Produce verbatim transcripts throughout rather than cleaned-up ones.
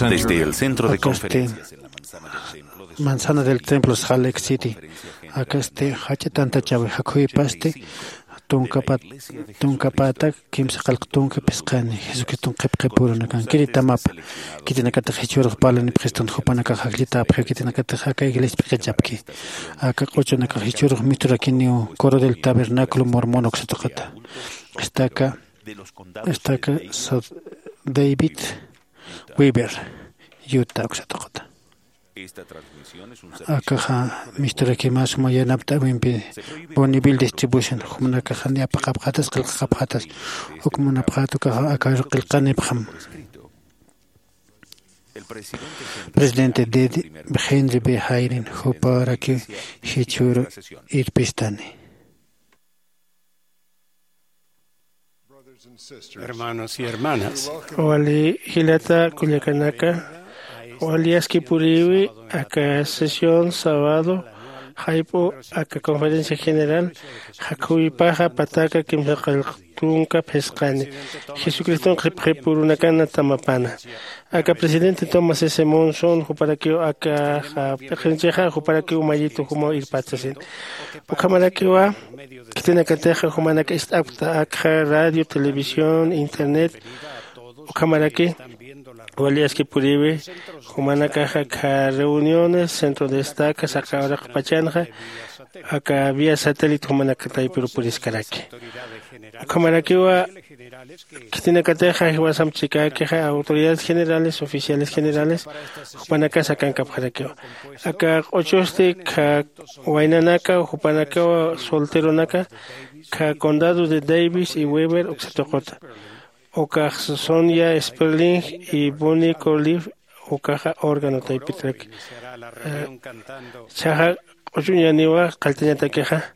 Desde el centro de conferencias en la manzana del templo de Salt Lake City, akasti jach'a tantachawi jakhuypasti tunkapat tunkapatak kimsa qallq tunka phisqani Jesucriston qhipqhipurunakankiri tamapa. Khitinakatix jichhürux parlanipxistun jupanakax ajllitäpxiw, khitinakatix aka iglesia p'iqichapki. Aka q'uchunakax jichhürux misturakiniw Coro del Tabernáculo Mormón uksa tuqita. Estaca, estaca David Weaver, Utah uksa tuqita. Akaxa misturakimas suma yanapt'äwimpi Bonneville Distribution, jumanakaxa ni apaqapxatas, qillqaqapxatas, uk munapxät ukaxa aka qillqanipxam. Presidente Henry B. Eyring juparakiw jichhüru irpistani. Hermanos y hermanas. Wali jilata kullakanaka, wali aski puriwi aka sesión sábado jayp'u aka conferencia general jakhuypaxa pataka kimsa qallq tunka phisqani Jesucriston qhipqhipurunakana tamapana. Aka presidente Thomas S. Monson juparakiw aka p'iqinchixa juparakiw mayitu jumaw irpät sasin. Ukhamarakiwa khitinakatixa jumanak ist'apkta akxa radio, televisión, internet. Ukhamaraki wali aski puriwi jumanakaxa akha reuniones, centro de estaca, saqa uraqpachanxa aka vía satélite jumanaka taypiru puriskaraki. Ukhamarakiwa khitinakatixa jiwasamp chikäkixa autoridades generales, oficiales generales, jupanakas akankapxarakiwa. Aka q'uchusti kha waynanaka, jupanakawa solteronaka, kha condado de Davis y Weber uksa tuquta. Ukax Sonia Sperling y Bonnie Corliff, ukaxa órgano taypitrak. Chaxa q'uchuñaniwa qalltañatakixa,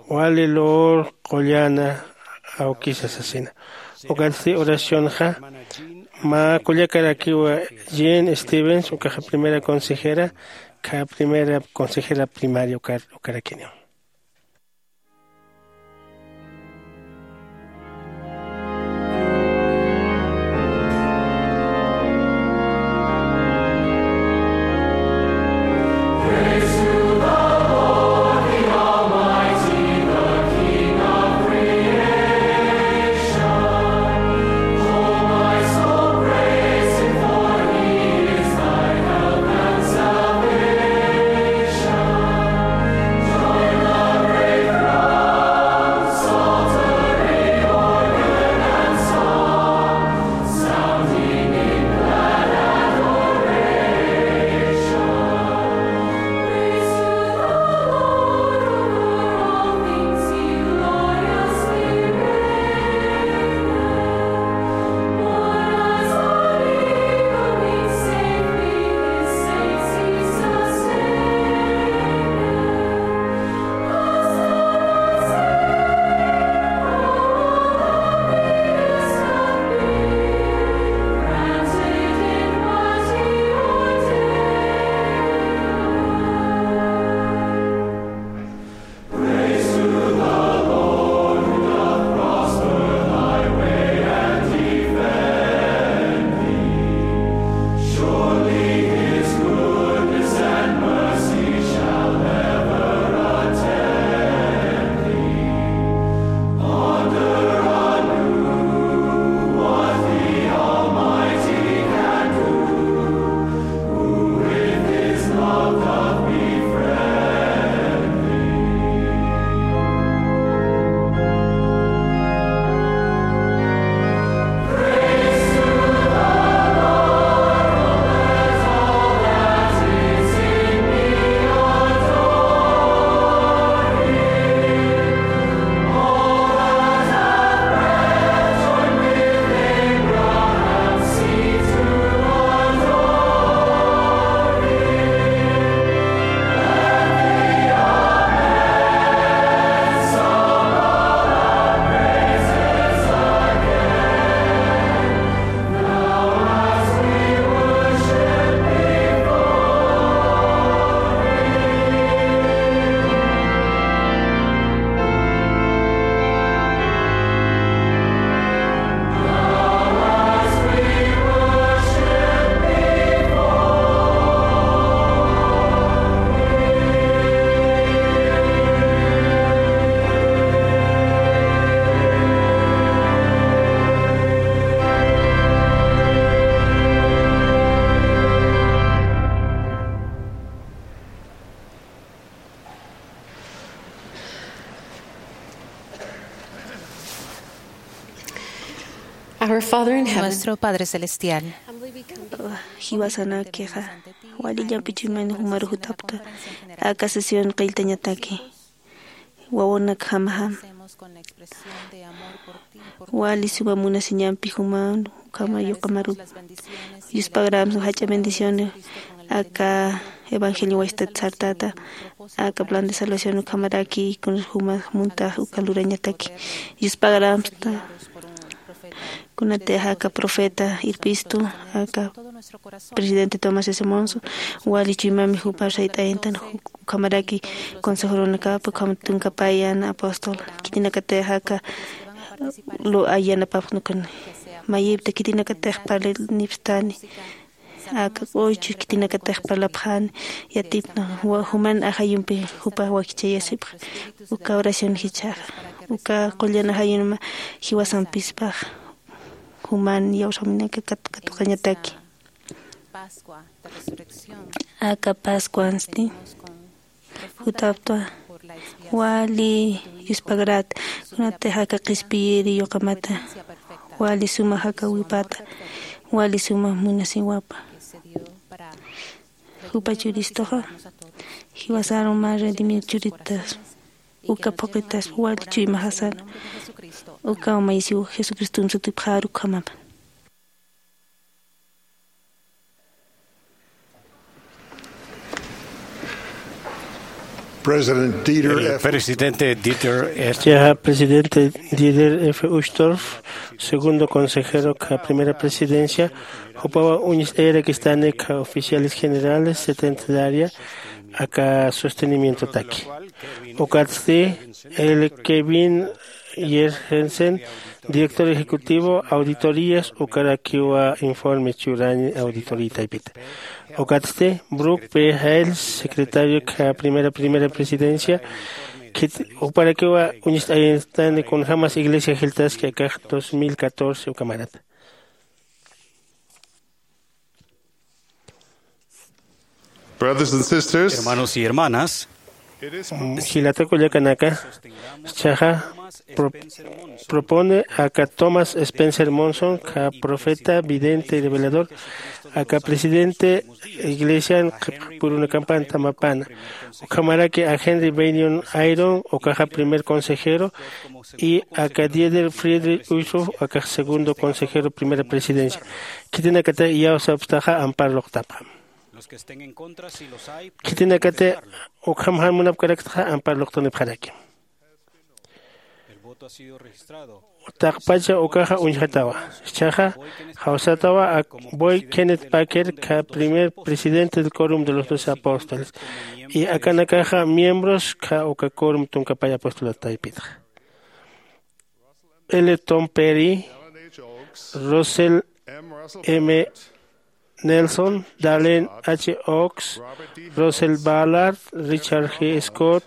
wali lur qullana awkisa sasina. Ukatsti oracionxa mä kullakarakiwa Jean Stevens, ukaxa primera consejera, kha primera consejera primaria ukar-, ukarakiniwa. Our Father in heaven. Nuestro Padre Celestial. Jiwasanakixa, wali llamp'ichuyman jumaru jutapta aka sesión qilltañataki. Wawanakjamajam, wali suma munasiñampi juman ukhama yuqamarup. Yuspagrams jach'a bendición aka evangelio waystat sartata, aka plan de salvación ukhamaraki kun juma munta uka lurañataki. Yuspagrams ta kunatix aka profeta irpistu, aka presidente Thomas S. Monson, wali chuymami jupa sayt'ayantan, ukhamaraki consejoronakapa, ukham tunkapayan apóstol, khitinakatix aka lu ayanapapxnukuni. Mayipta khitinakatix parlinipstani, aka q'uchu khitinakatix parlapxani, yatipna wa-, juman ajayumpi jupa wakichayasipxa. Uka oración jichhaxa, uka qullan ajayunma jiwasampispax juman yawsaminaka kat-, katuqañataki. Aka Pascuansti jutaptwa wali yuspagrat, kunatix aka qhispiyiri yuqamata, wali suma jakawipata, wali suma munasiwapa. Jupa churistuxa jiwasaru mä redimir churitas, uka phuqitas wali chuymaxasar, uka maysiw Jesucristum sutipxaru ukhamapa. President Dieter El F. Presidente Dieter F. Chiqa presidente Dieter F. Uchtdorf, segundo consejero ka primera presidencia, jupawa uñist'ayarakistani ka oficiales generales setenta de área aka sostenimiento taki. Ukatsti el Kevin Yergensen, director ejecutivo, auditorías, ukarakiwa informe churañ auditoría taypita. Ukatsti Brook P. Hales, secretario ka primera, primera presidencia, kit-, ukarakiwa uñist'ayanistani kunjamas iglesia jiltaski akax dos mil catorce ukamarata. Brothers and sisters, hermanos y hermanas, mm, jilata kullakanaka, chaxa pro-, propone aka Thomas Spencer Monson, ka profeta, vidente y revelador, aka presidente iglesian qhipqipurunakampana tamapana. Ukhamaraki a Henry Bennion Eyring, ukaxa primer consejero, y aka Dieter Friedrich Uchtdorf, akax segundo consejero, primera presidencia. Khitinakatix iyawsapstaxa ampar luqtapxam. Khitinakatix ukham jan munapkaraktaxa ampar luqtunipxaraki. Taqpacha ukaxa uñjatawa. Chaxa jawsatawa ak Boyd Kenneth Packer, ka primer presidente del Quórum de los Doce Apóstoles. Y akanakaxa miembros ka uka quórum tunkapay apóstolat taypitxa. L. Tom Perry, Russell M. Nelson, Dallin H. Oaks, Russell Ballard, Richard G. Scott,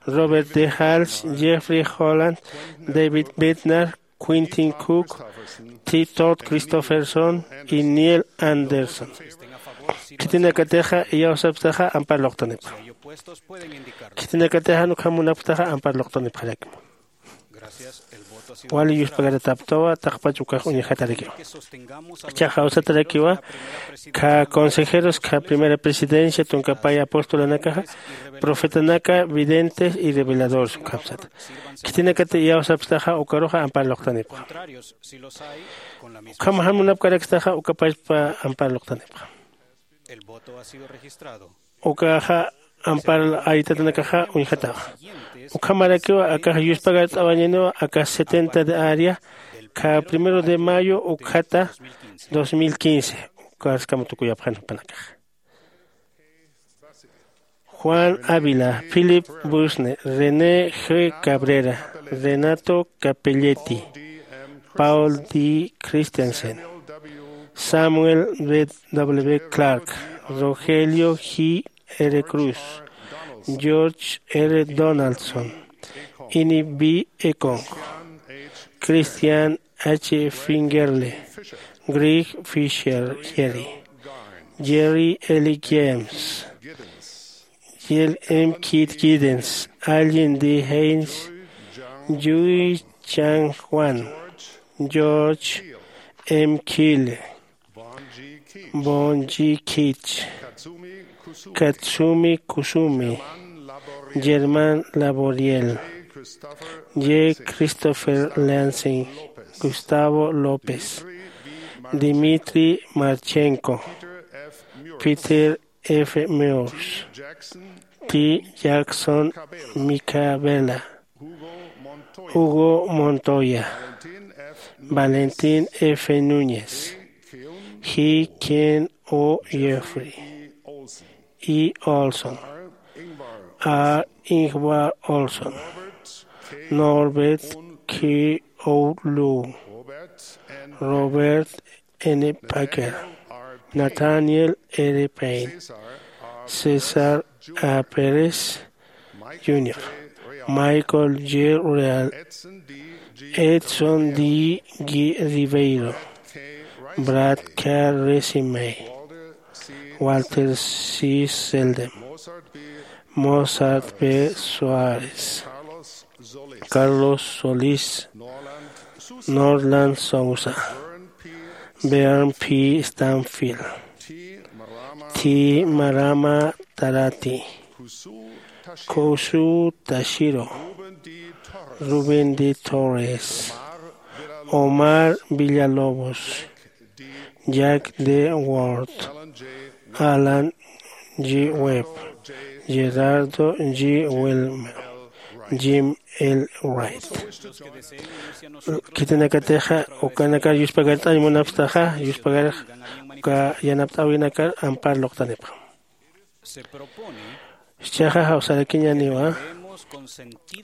Robert D. Hales, Jeffrey Holland, David Bednar, Quentin Cook, T. Todd Christofferson y Neil Andersen. Khitinakatixa iyawsapxtaxa ampar luqtunipxam. Khitinakatixa ukham munapxtaxa ampar luqtunipxarakim. Wali yuspagarataptawa, taqpach ukax uñjatarakiwa. Chaxa jawsatarakiwa, ka consejeros, ka primera presidencia, tunkapay apostolanakaxa, profetanaka, videntes y reveladores ukhamsata. Khitinakati iyawsapxtaxa ukaruxa ampar luqtanipxam. Ukham jan munapkarakstaxa ukapachpa ampar luqtanipxam. Ukaxa ampar aytatanakaxa uñjatawa. Ukhamarakiwa akax yuspagart'awañaniwa akax setenta de área, ka primero de mayo ukhata dos mil quince, ukaskama tukuyapxani jupanakaxa. Juan Ávila, Philip Busne, René G. Cabrera, Renato Capelletti, Paul D. Christensen, Samuel W. Clark, Rogelio G. R. Cruz, George R. Donaldson, Ini B. Ekong, Christian H. Fingerle, Greg Fisher, Jerry, Jerry L. James, Jill M. Keith Giddens, Allen D. Haynes, Jui Chang Wan, George M. Kille, Bonji Kich, Katsumi Kusumi, Germán Laboriel, J. Christopher Lansing, Gustavo López, Dmitry Marchenko, Peter F. Meurs, T. Jackson Micabela, Hugo Montoya, Valentín F. Núñez, G. Ken O. Jeffrey, E. Olson, A. Ingvar Olson, Norbert K. O. Lu, Robert N. Packer, Nathaniel R. Payne, César A. Pérez junior, Michael J. Real, Edson D. G. Ribeiro, Brad K. Resimay, Walter C. Selden, Mozart B. Suárez, Carlos Solís, Norland Sousa, Bern P. Stanfield, T. Marama Tarati, Kosu Tashiro, Rubén D. Torres, Omar Villalobos, Jack D. Ward, Alan G. Webb, Gerardo G. Wilmer, Jim L. Wright. Khitinakatixa ukanakar yuspagart'añ munapxtaxa, yuspagar uka yanapt'äwinakar ampar luqtanipxam. Jichhaxa jawsarakiñäniwa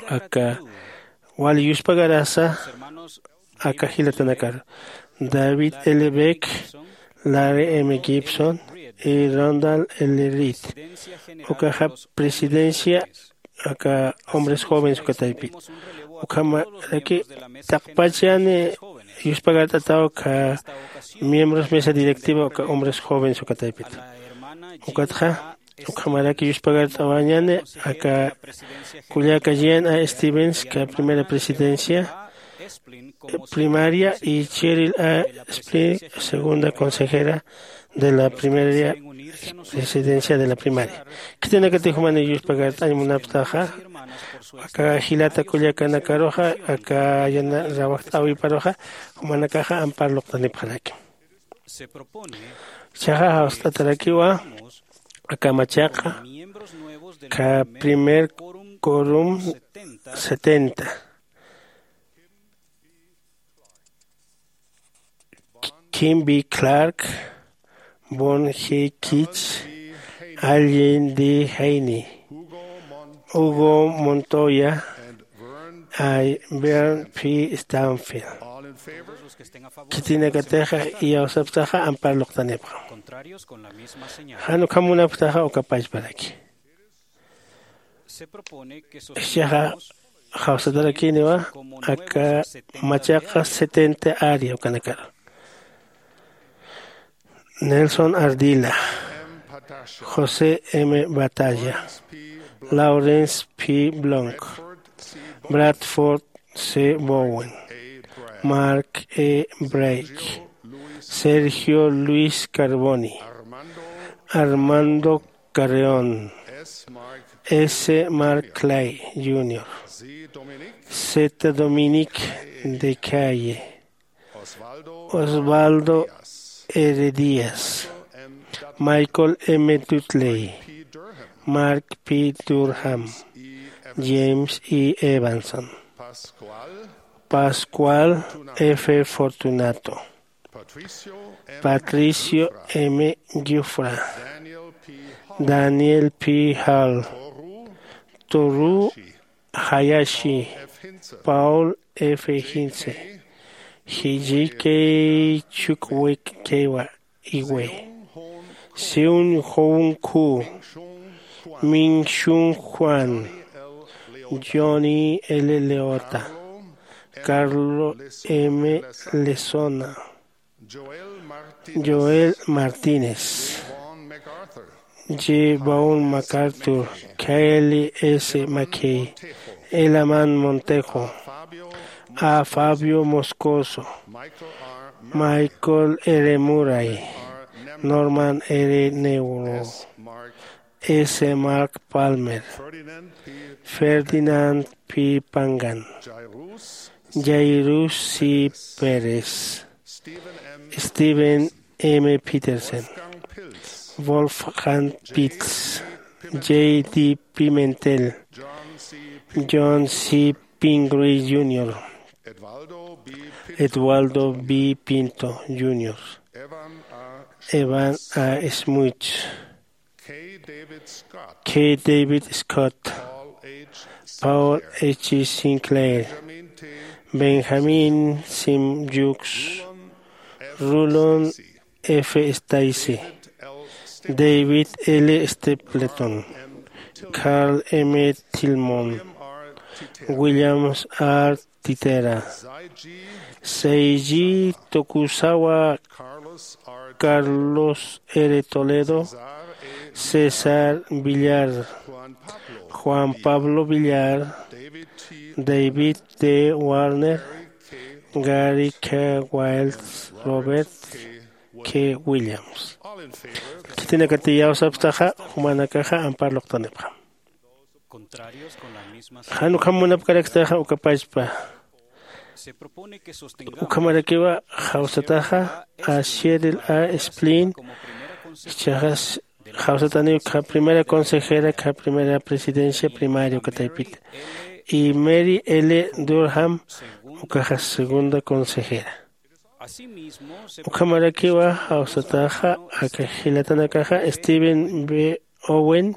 aka wali yuspagarasa aka jilatanakar: David L. Beck, Larry M. Gibson y Randall L. Reed. Ukaxa presidencia aka hombres jóvenes uka taypit. Ukhamaraki taqpach yäni yuspagart'ataw aka miembros mesa directiva uka hombres jóvenes uka taypit. Ukatxa ukhamaraki yuspagart'awañäni aka kullaka Jean A. Stevens, aka primera presidencia primaria, y Cheryl A. Splin, segunda consejera de la primera presidencia de la primaria. Khitinakatix jumanix yuspagart'añ munapxtaxa aka jilata kullakanakaruxa, aka yana rawajt'äwiparuxa, jumanakaxa ampar luqtanipxaraki. Jichhaxa jawst'atarakiwa aka machaqa, aka primer quorum setenta: Kim B. Clark, Bon G. Kich, Allen D. Haney, Hugo Montoya, y Bern P. Stanfield. Khitinakatixa iyawsapxtaxa ampar luqtanipxam. Jan ukham munapxtaxa uka pachparaki. Jichhaxa jawsatarakiniwa aka machaqa setenta área ukanakar: Nelson Ardila, José M. Batalla, Lawrence P. Blanc, Bradford C. Bowen, Mark E. Brake, Sergio Luis Carboni, Armando Carreón, S. Mark Clay junior, Z. Dominique de Calle, Osvaldo R. Díaz, Michael M. Dudley, Mark P. Durham, James E. Evanson, Pascual F. Fortunato, Patricio M. Giuffra, Daniel P. Hall, Toru Hayashi, Paul F. Hintze, J. K. Chukwukawa Iwe, Seung Hoon Koo, Min Shung Juan, Johnny L. Leota, Carlo M. Lezona, Joel Martínez, J. Vaughn MacArthur, Kyle S. McKay, Elaman Montejo, A. Fabio Moscoso, Michael R. Murray, Norman R. Neuro, S. Mark Palmer, Ferdinand P. Pangan, Jairus C. Pérez, Stephen M. Peterson, Wolfgang Pitts, J. D. Pimentel, John C. Pingree junior, Eduardo B. Pinto junior, Evan A. Smuts, K. David Scott, Paul H. Sinclair, Benjamin Sim Jukes, Rulon F. Stacey, David L. Stapleton, Carl M. Tillman, Williams R. Titera, Seiji Tokusawa, Carlos R. Toledo, César Villar, Juan Pablo Villar, David T. Warner, Gary K. Wilds, Robert K. Williams. Khitinakati iyawsapxtaxa, jumanakaxa ampar luqtanipxam. Jan ukham munapkaraktaxa ukapachpa. Ukhamarakiwa jawsataxa a Cheryl A. Splin, jichhaxa jawsataniw kha primera consejera, kha primera presidencia primaria uka taypita, y Mary L. Durham, ukaxa segunda consejera. Ukhamarakiwa jawsataxa aka jilatanakaxa Stephen B. Owen,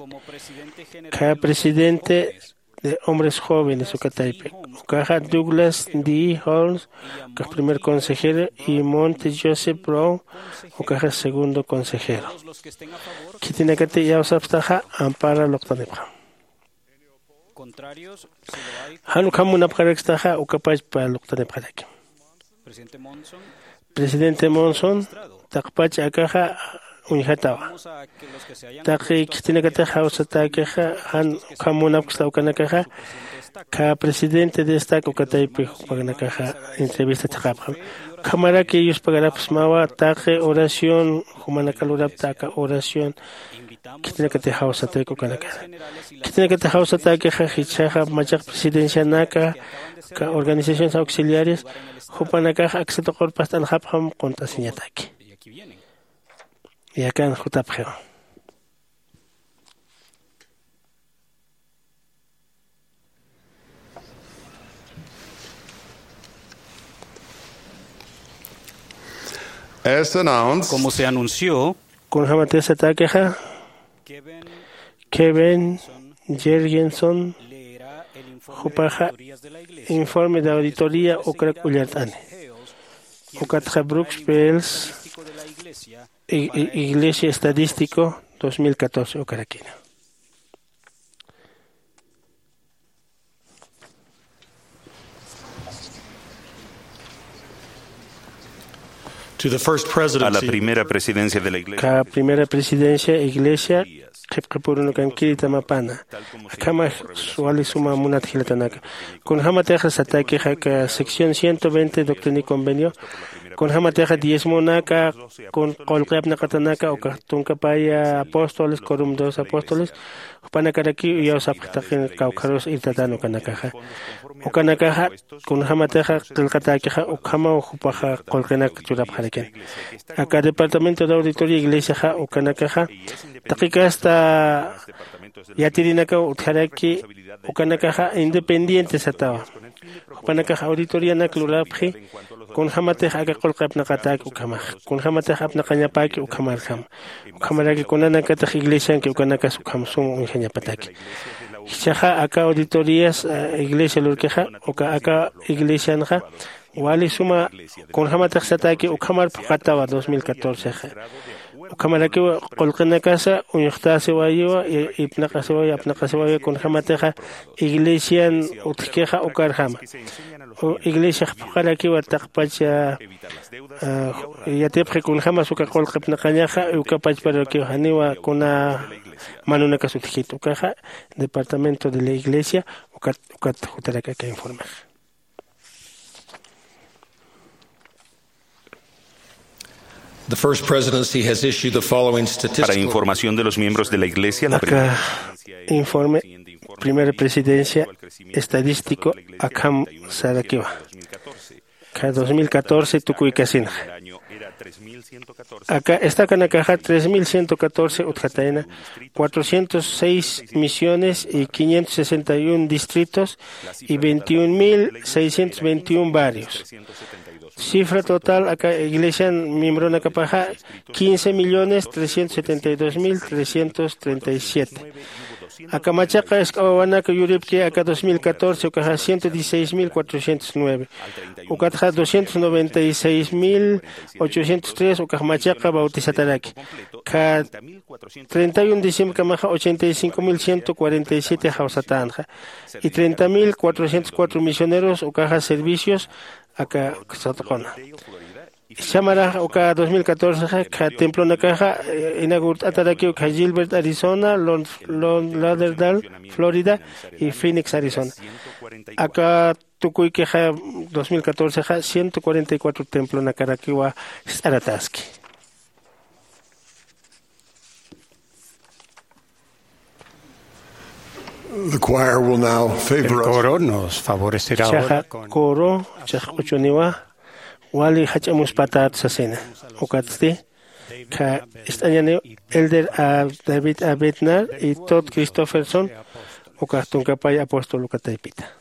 kha presidente de hombres jóvenes uka taypi, ukaxa Douglas D. Holmes, ukax primer consejero, y Monte Joseph Brown, ukaxa segundo consejero. Khitinakati iyawsapxtaxa ampara luqtanipxam. Jan ukham munapxarakstaxa ukapachpa luqtanipxaraki. Presidente Monson, taqpach akaxa uñjatawa. Taqi khitinakatix jawsatäkixa jan ukham munapksta ukanakaxa, kha presidente de estaca uka taypi jupanakaxa entrevista thaqhapxam. Ukhamaraki yuspagarapxsmawa taqi oración, jumanaka lurapta aka oración, khitinakatix jawsatäki ukanakaxa. Khitinakatix jawsatäkixa jichhaxa machaq presidencianaka, aka organizaciones auxiliares, jupanakax aksa tuqurpast'anxapxam qunt'asiñataki. Yakan jutapxiwa. As announced, como se anunció, kunjämatix satäkixa, Kevin Jergenson jupaxa informe de auditoría ukrak ullart'ani. Ukatxa Brooks Bells, i- i- Iglesia Estadístico dos mil catorce ukarakina. To the first presidency. A la primera presidencia de la iglesia. Ka primera presidencia iglesia qhipqipurunakankiri tamapana. Akhama wali suma munat jilatanaka. Kunjämatixa satäkixa ka sección ciento veinte Doctrina y Convenio, kunjämatixa diezmonaka, kun qullqi apnaqatanaka ukax tunkapaya apóstoles, quorum de los apóstoles, jupanakaraki uyawsapxi taqi kawkharus irtatan ukanakaxa. Ukanakaxa kunjämatixa qillqatäkixa ukhamaw jupaxa qullqinak churapxarakin. Aka departamento de auditoría iglesiaxa ukanakaxa taqi kasta yatirinakaw utjaraki, ukanakaxa independiente satawa. Jupanakax auditorianak lurapxi, kunjämatix aka qullqi apnaqatäki ukhamax, kunjämatix apnaqañapäki ukhamarjam. Ukhamaraki kunanakatix iglesianki ukanakas ukham sum uñjañapataki. Jichhaxa aka auditorías, eh, iglesia lurkixa, uka aka iglesianxa wali suma kunjämatix satäki ukhamar phuqatawa dos mil catorcexa. Ukhamarakiwa qullqinakasa uñuxtäsiwayiwa, i- ipnaqasiwayi, apnaqasiwayi, kunjämatixa iglesian utjkixa ukarjama. U- iglesiax phuqarakiwa taqpacha, ah, yatipxi kunjämas uka qullqi apnaqañaxa, ukapachparakiwa janiwa kuna manunakas utjkit ukaxa, departamento de la iglesia, ukat, ukat jutarak aka informexa. The First Presidency has issued the following statistical. Para información de los miembros de la Iglesia, la primera. Aka informe, Primera Presidencia, estadístico, akham sarakiwa. Ka dos mil catorce tukuykasinxa. Aka estakanakaxa tres mil ciento catorce utjatayna, cuatrocientos seis misiones y quinientos sesenta y un distritos y veintiún mil seiscientos veintiún barrios. Cifra total aka iglesian miembronakapaxa quince millones trescientos setenta y dos mil trescientos treinta y siete. Aka machaqa isk'awawanaka yuripki aka dos mil catorce ukaxa ciento dieciséis mil cuatrocientos nueve. Ukatxa doscientos noventa y seis mil ochocientos tres ukax machaqa bautizataraki. Ka treinta y uno diciembre kamaxa ochenta y cinco mil ciento cuarenta y siete jawsatanxa. Y treinta mil cuatrocientos cuatro misioneros ukaxa servicios aka satquna. Samarax uka dos mil catorce ka templonakaxa inaugurt'atarakiw ka Gilbert, Arizona, Lon Lon Lauderdale, Florida, y Phoenix, Arizona. Aka tukuykixa dos mil catorce ka ciento cuarenta y cuatro templonakarakiwa ist'arataski. The choir will now favor us. Coro nos favorecerá ahora con coro chax q'uchuniwa wali jach'amuspatat sasina. Ukatsti ka ist'añani elder a David a Bednar y Todd Christofferson ukax tunkapay apóstol ukataypita.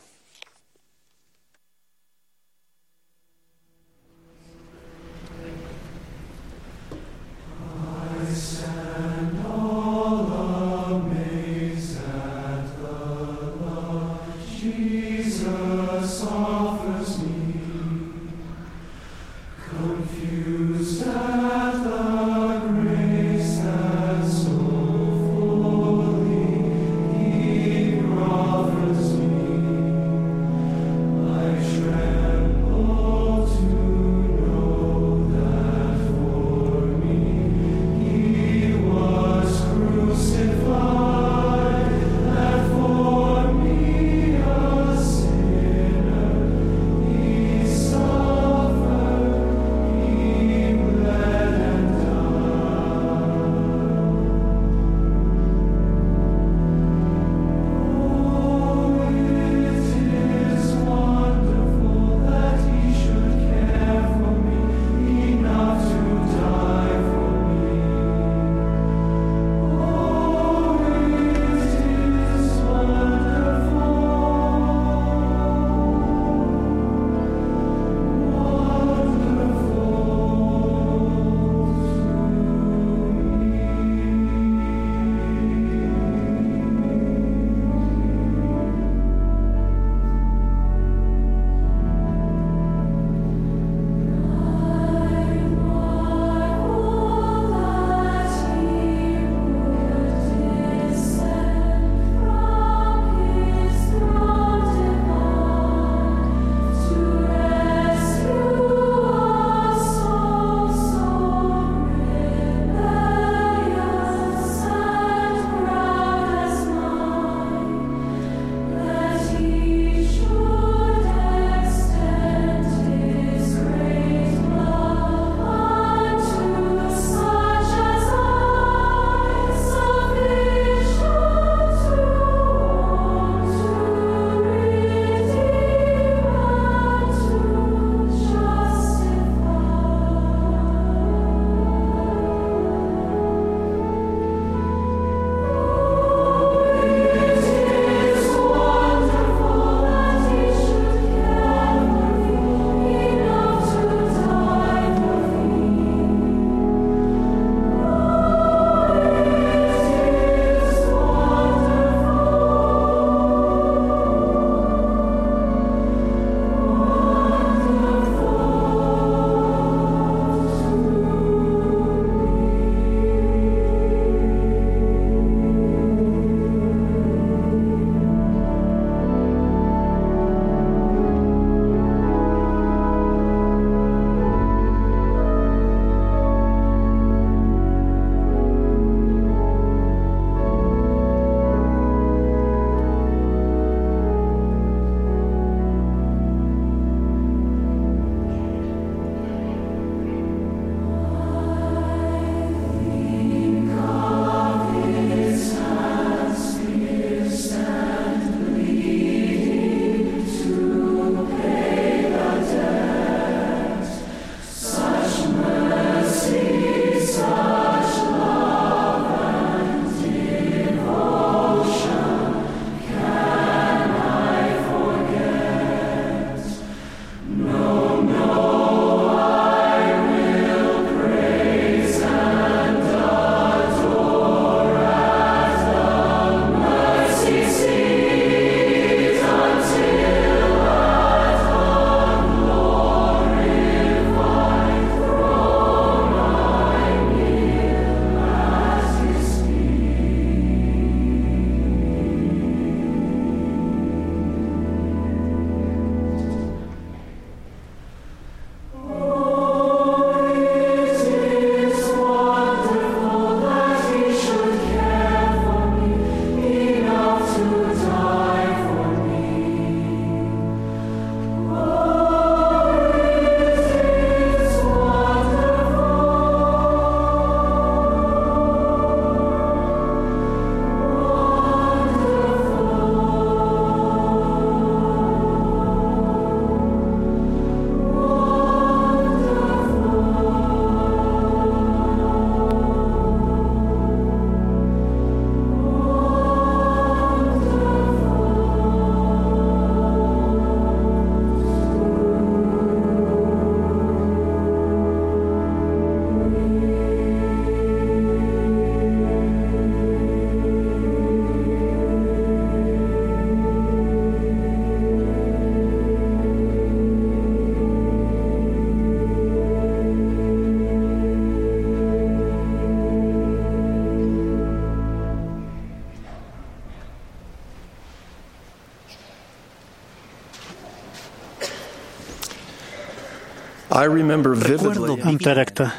I remember vividly. Amtarakta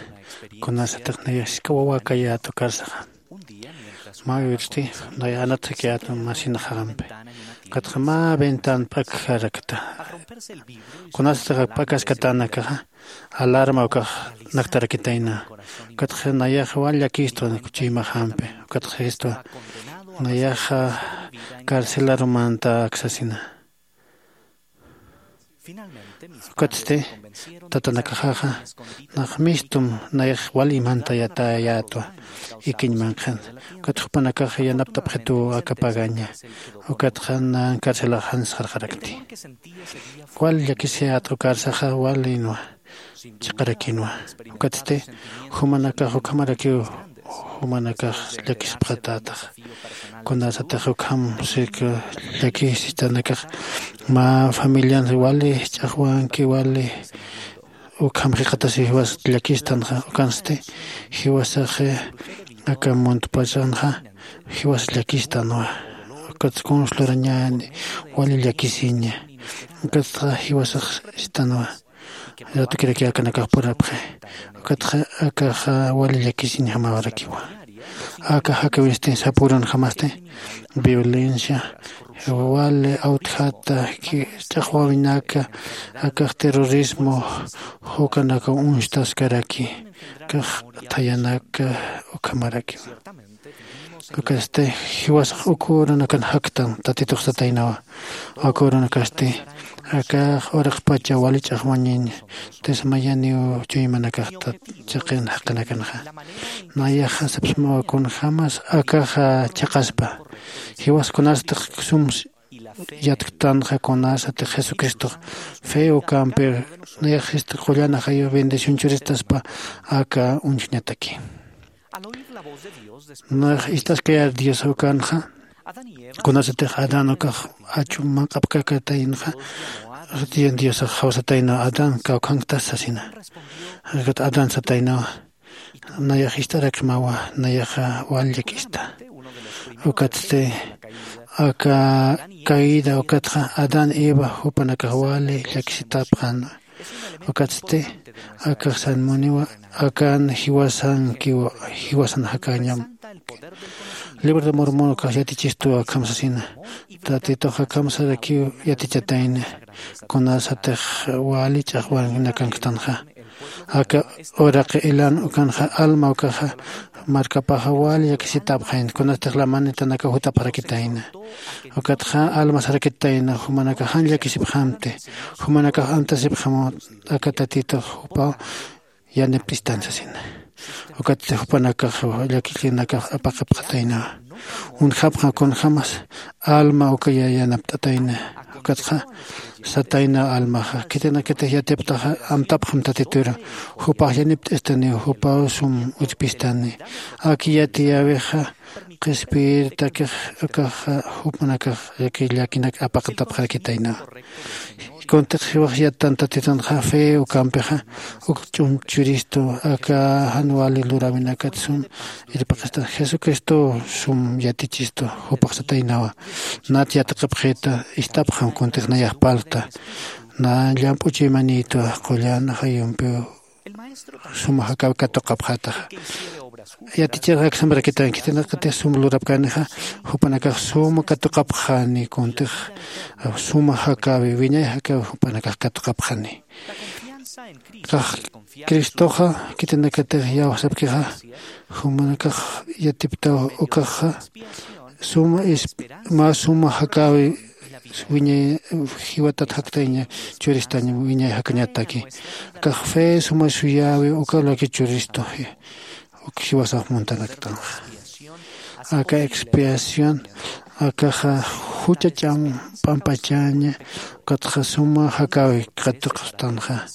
kunasatix nayax jisk'a wawakayätu karsaxa. Mä uyrsti nayax anatxakiyätu masinaxaxampi. Ukatxa mä ventan p'akjarakta. Kunasatix p'akaskatänakaxa alarma ukax naktarakitayna. Ukatxa nayax wal llakistwa chuymaxampi. Ukatxa jistwa nayaxa carcelarumanta aksasina. Ukatsti tatanakaxaxa nax mistum nayax wal imantayatayätwa ikiñ manqhan. Ukat jupanakax yanapt'apxituw aka pagaña. Ukatxa nan carcelaxan sarxarakti. Wal llakisiyätxa ukarsaxa walinwa chiqarakinwa. Ukatsti jumanakax ukhamarakiw jumanakax llakisipxatätax. Kunasatix ukham sik llakisistanakax mä familian wali ch'axwanki wali ukham jikxatasiw jiwas llakistanxa. Ukansti jiwasaxi aka muntpachanxa jiwas llakistanwa. Ukatsti kuns lurañäni wali llakisiña. Ukatxa jiwasax istanwa. Ratukiraki akanakax purapxi. Ukatxa akaxa wali llakisiñjamawarakiwa. Aka jakäwinsti sapürunjamasti violencia wali awtjata ch'axwäwinaka akax terrorismo ukanakaw uñstaskaraki. Akax thayanaka ukhamarakiwa. Ukatsti jiwasax uk urunakan jaktan tatitux sataynawa. Uk urunakasti akax uraqpacha wali ch'axwañañ tismayaniw chuymanakaxta chiqin jaqinakanxa. Nayaxa sapsmawa kunjämas akaxa chhaqaspa jiwas kunasatix sum yatktanxa kunasatix jesucristox fe ukampi nayaxista qullan ajayu bendición churistaspa aka uñjñataki. Nax ist'askayar dios ukanxa kunasatix adán ukax achu manq'apkakatayinxa diosax jawsataynaw adán kawkhanktas sasina. Akat adán sataynawa nayax ist'arakmawa nayaxa wal llakista. Ukatsti aka caída ukatxa adán eva jupanakax wali llakisitapxänwa. Ukatsti akax sanmuniwa akan jiwasankiwa jiwasan jakañam. Libro de mormon ukax yatichistuwa akham sasina tatitux akham sarakiw yatichatayna. Kunasatix wali ch'axwaninakanktänxa aka uraqi ilan ukanxa alma ukaxa markapaxa wali llakisitapxayna kunastix lamanitanakaw jutapxarakitayna. Ukatxa alma sarakitayna jumanakax jan llakisipxamti jumanakax antasipxamu aka tatitux jupaw yanipt'istan sasina. Ukatsti jupanakax llakillinakax apaqipxataynawa. Uñjapxam kunjämas alma ukaya yanapt'atayna. Ukatxa satayna almaxa khitinakatix yatiptaxa amtapxam tatituru jupax yanipt'istaniw jupaw sum utjpistani. Aki yatiyäwixa qhispiyirtakix ukaxa jupanakax llakinak apaqtapxarakitaynawa. Kuntix jiwax yattan tatitunxa fe ukampixa uk ch'um churistu aka jan wali luräwinakat sum irpaqista jesucristow sum yatichistu. Jupax sataynawa nat yatiqapxita ist'apxam kuntix nayax parlta na llamp'u chuymanïtwa qullan ajayumpiw suma jakäwi katuqapxätaxa. Yatichirxa aksamarakitan khitinakatix sum lurapkänixa jupanakax suma katuqapxani kuntix suma jakäwi wiñay jakäwi jupanakax katuqapxani. Kax cristoxa khitinakatix yawsapkixa jumanakax yatiptaw ukaxa suma mä suma jakäwi wiñay jiwatat jaktayña churistañ wiñay jakañataki. Kax fe suma suyäwi uka laki churistu uk jiwasax muntanaktanxa. Aka expiación akaxa jucha ch'am p'ampachaña ukatxa suma jakäwi katuqstanxa.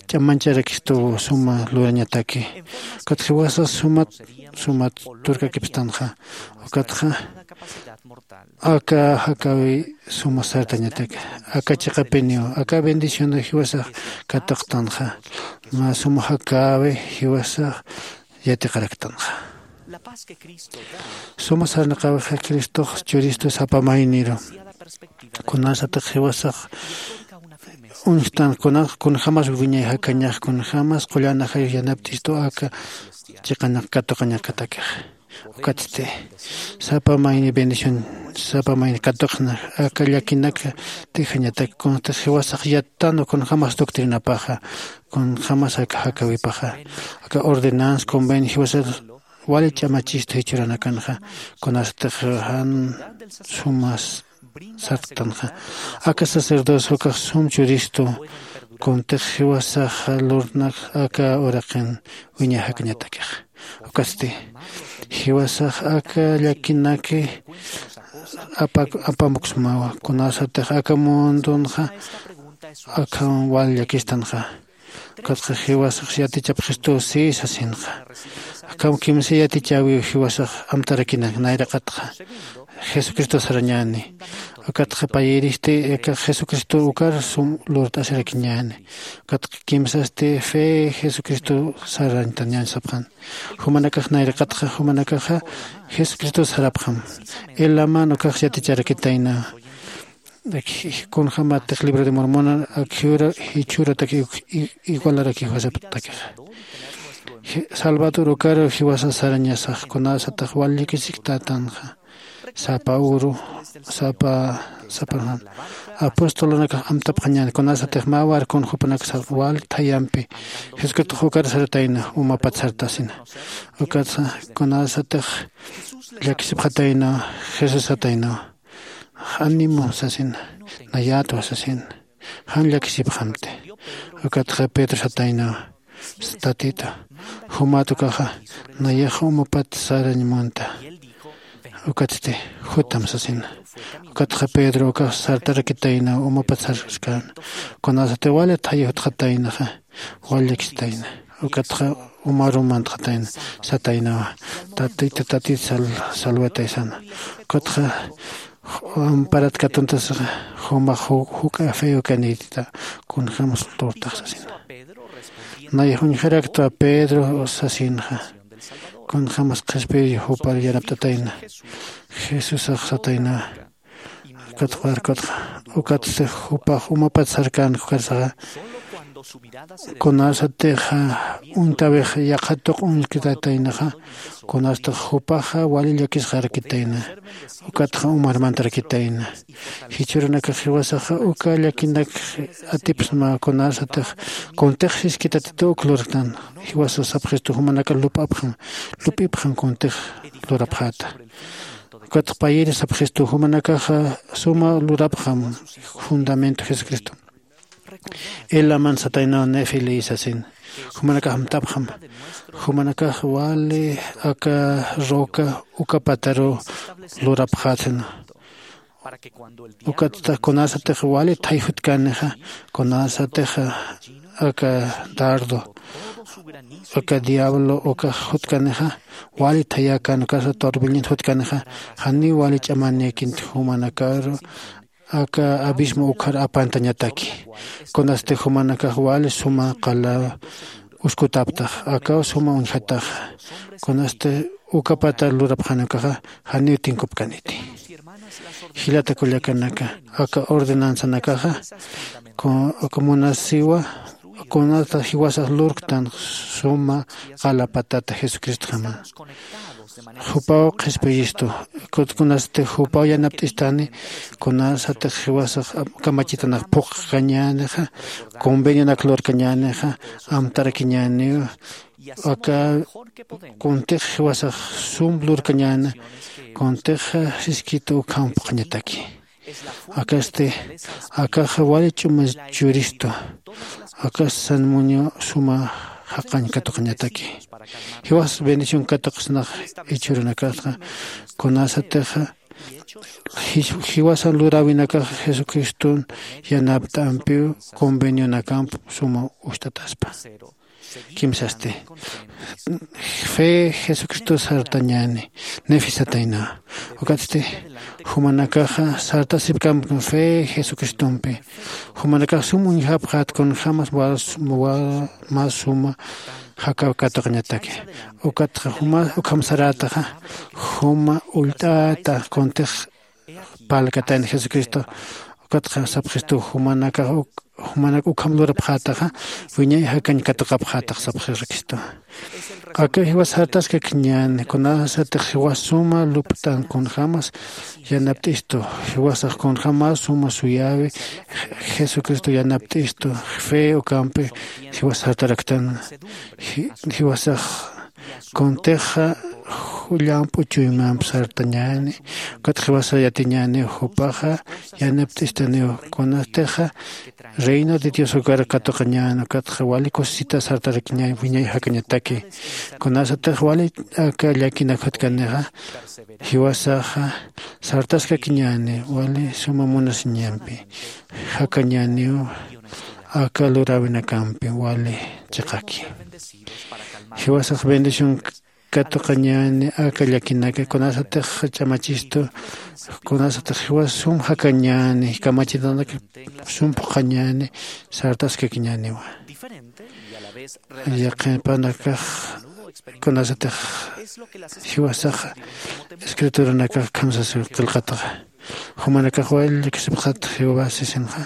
Ch'am mancharakistuw suma lurañataki. Ukat jiwasax sumat sumat turkakipstanxa. Ukatxa aka jakäwi suma sartañatak aka chiqapiniw aka bendición jiwasax katuqtanxa. Mä suma jakäwi jiwasax yatiqaraktanxa. Suma sarnaqäwixa cristox churistu sapa mayniru kunasatix jiwasax uñjtan kunaq kunjämas wiñay jakañax kunjämas qullan ajayux yanapt'istu aka chiqanaq katuqañaqatakix. Ukatsti sapa mayni bendición sapa mayni katuqna aka llakinaka t'ijañatak kunsti jiwasax yattan kunjämas doctrinapaxa kunjämas aka jakäwipaxa aka ordenanza convenio jiwasa wali ch'amachistu jichhuranakanxa kunasatix jan sumas sarktanxa aka sacerdocio ukax sum churistu kuntix jiwasaxa lurnak aka uraqin wiñay jakañatakix. Ukatsti jiwasax aka llakinaki apamuksmawa kunasatix aka mundunxa akham wal llakistanxa. Ukatxa jiwasax yatichapxistu si sasinxa. Akham kimsa yatichäwiw jiwasax amtarakinak nayraqatxa jesucristo sarañäni. Ukatxa payïristi aka jesucristo ukar sum lurt'asirakiñäni. Ukatxa kimsasti fe jesucristo sarañtañäni sapxan. Jumanakax nayraqatxa jumanakaxa jesucristo sarapxam. Elaman ukax yaticharakitayna kunjämatix libro de mormona akjura jichhuratak igualarakiw jasaptakixa. Salvador ukaru jiwasa sarañasax kunasatax wal llakisiktatanxa sapa uru sapa sapanxan apostolunakax amtapxañäni kunasatix mä warkun jupanaksa wal thayampi jesucristox ukar sartayna umapat sartasina. Ukatsa kunasatix llakisipxatayna jesús sataynawa. Ánimo sasina. Nayätwa sasina. Jan llakisipxamti. Ukatxa pedro sataynawa. Tatita jumat ukaxa nayax umapat sarañ munta. Ukatsti jutam sasina. Ukatxa pedro ukax sartarakitaynaw umapat sarkän kunasati wali thayi jutxataynaxa wal llakistayna. Ukatxa umarum mantxatayna sataynawa. Tatita tatit salwatay sana. Ukatxa amparat katuntasaxa jumax juk'a feo kanïtita kunjämas lurtax sasina. Nayax uñjaraktwa pedro sasinxa kunjämas qhispiy jupar yanapt'atayna. Jesusax sataynawa. Ukatxa warkutxa ukatsti jupax umapat sarkän ukarsaxa kunasatixa uñtawix yaqha tuq uñjkitataynaxa kunastix jupaxa wali llakisxarakitayna. Ukatxa umarmantarakitayna. Jichhürunakax jiwasaxa uka llakinak atipsma kunasatix kuntix siskitatitu uk lurktan. Jiwasa sapxistu jumanaka lup'apxam lup'ipxam kuntix lurapxäta. Ukatxa payïri sapxistu jumanakaxa suma lurapxam fundamento jesucristo. Elaman sataynaw nefi ley sasin jumanakax amtapxam. Jumanakax wali aka roca uka pataru lurapxätsina. Ukatstax kunasatix wali thay jutkanixa kunasatix aka dardo aka diablo ukax jutkanixa wali thayäkän ukasa torbillinta jutkanixa janiw wali ch'amanïkinti jumanakaru aka abismo ukhar apantañataki. Kunasti jumanakax wali suma qala uskutäptax akaw suma uñjataxa. Kunasti uka patar lurapxani ukaxa janiw tinkupkaniti. Jilata kullakanaka aka ordenanzanakaxa aka munasiwa kunata jiwasax lurktan suma qala patata jesucristjama. Jupaw qhispiyistu kunasti jupaw yanapt'istani kunasatix jiwasax kamachitanax phuqkañänixa convenionak lurkañänixa amtarakiñäniw aka kuntix jiwasax sum lurkañäna kuntix siskita ukham phuqhañataki. Akasti akaxa wali ch'uma churistu. Akas sanmuño suma jaqañ katuqañataki. Jiwas bendición katuqsnax ichhürunakasqa kunasatixa jiwasan luräwinakaxa jesucriston yanapt'ampiw convenionakamp suma ucht'ataspa. Kimsasti fe jesucristo sartañäni nefisatayna. Ukatsti jumanakaxa sartasipkamp fe jesucristompi jumanakax sum uñjapxät kunjämas mä suma jakaw katuqañataki. Ukatxa ukham sarätaxa juma ullt'äta kuntix parlkatayna jesucristo Ukatxa sapxistu jumanakax jumanak ukham lurapxätaxa wiñay jakañ katuqapxätax sapxirakistu. Aka jiwas sartaskakiñäni kunasatix jiwas suma luptan kunjämas yanapt'istu, jiwasax kunjämas suma suyäwi jesucristo yanapt'istu fe ukampi jiwas sartaraktan. Jiwasax kuntixa llamp'u chuymamp sartañäni. Ukat jiwasax yatiñäniw jupaxa yanapt'istaniw kunatixa reino de dios ukar katuqañän ukatxa wali kusisita sartarakiñäni wiñay jakañataki. Kunasatix wali aka llakinak jutkanixa jiwasaxa sartaskakiñäni wali suma munasiñampi jakañäniw aka luräwinakampi wali chiqaki. Jiwasax bendición katuqañäni aka llakinaka kunasatix ch'amachistu kunasatix jiwas sum jakañäni kamachitanak sum phuqhañäni sartaskakiñäniwa. Yaqhipanakax kunasatix jiwasaxa escrituranakax khamsasiw qillqataxa jumanakax wali llakisipxat jehová sisinxa.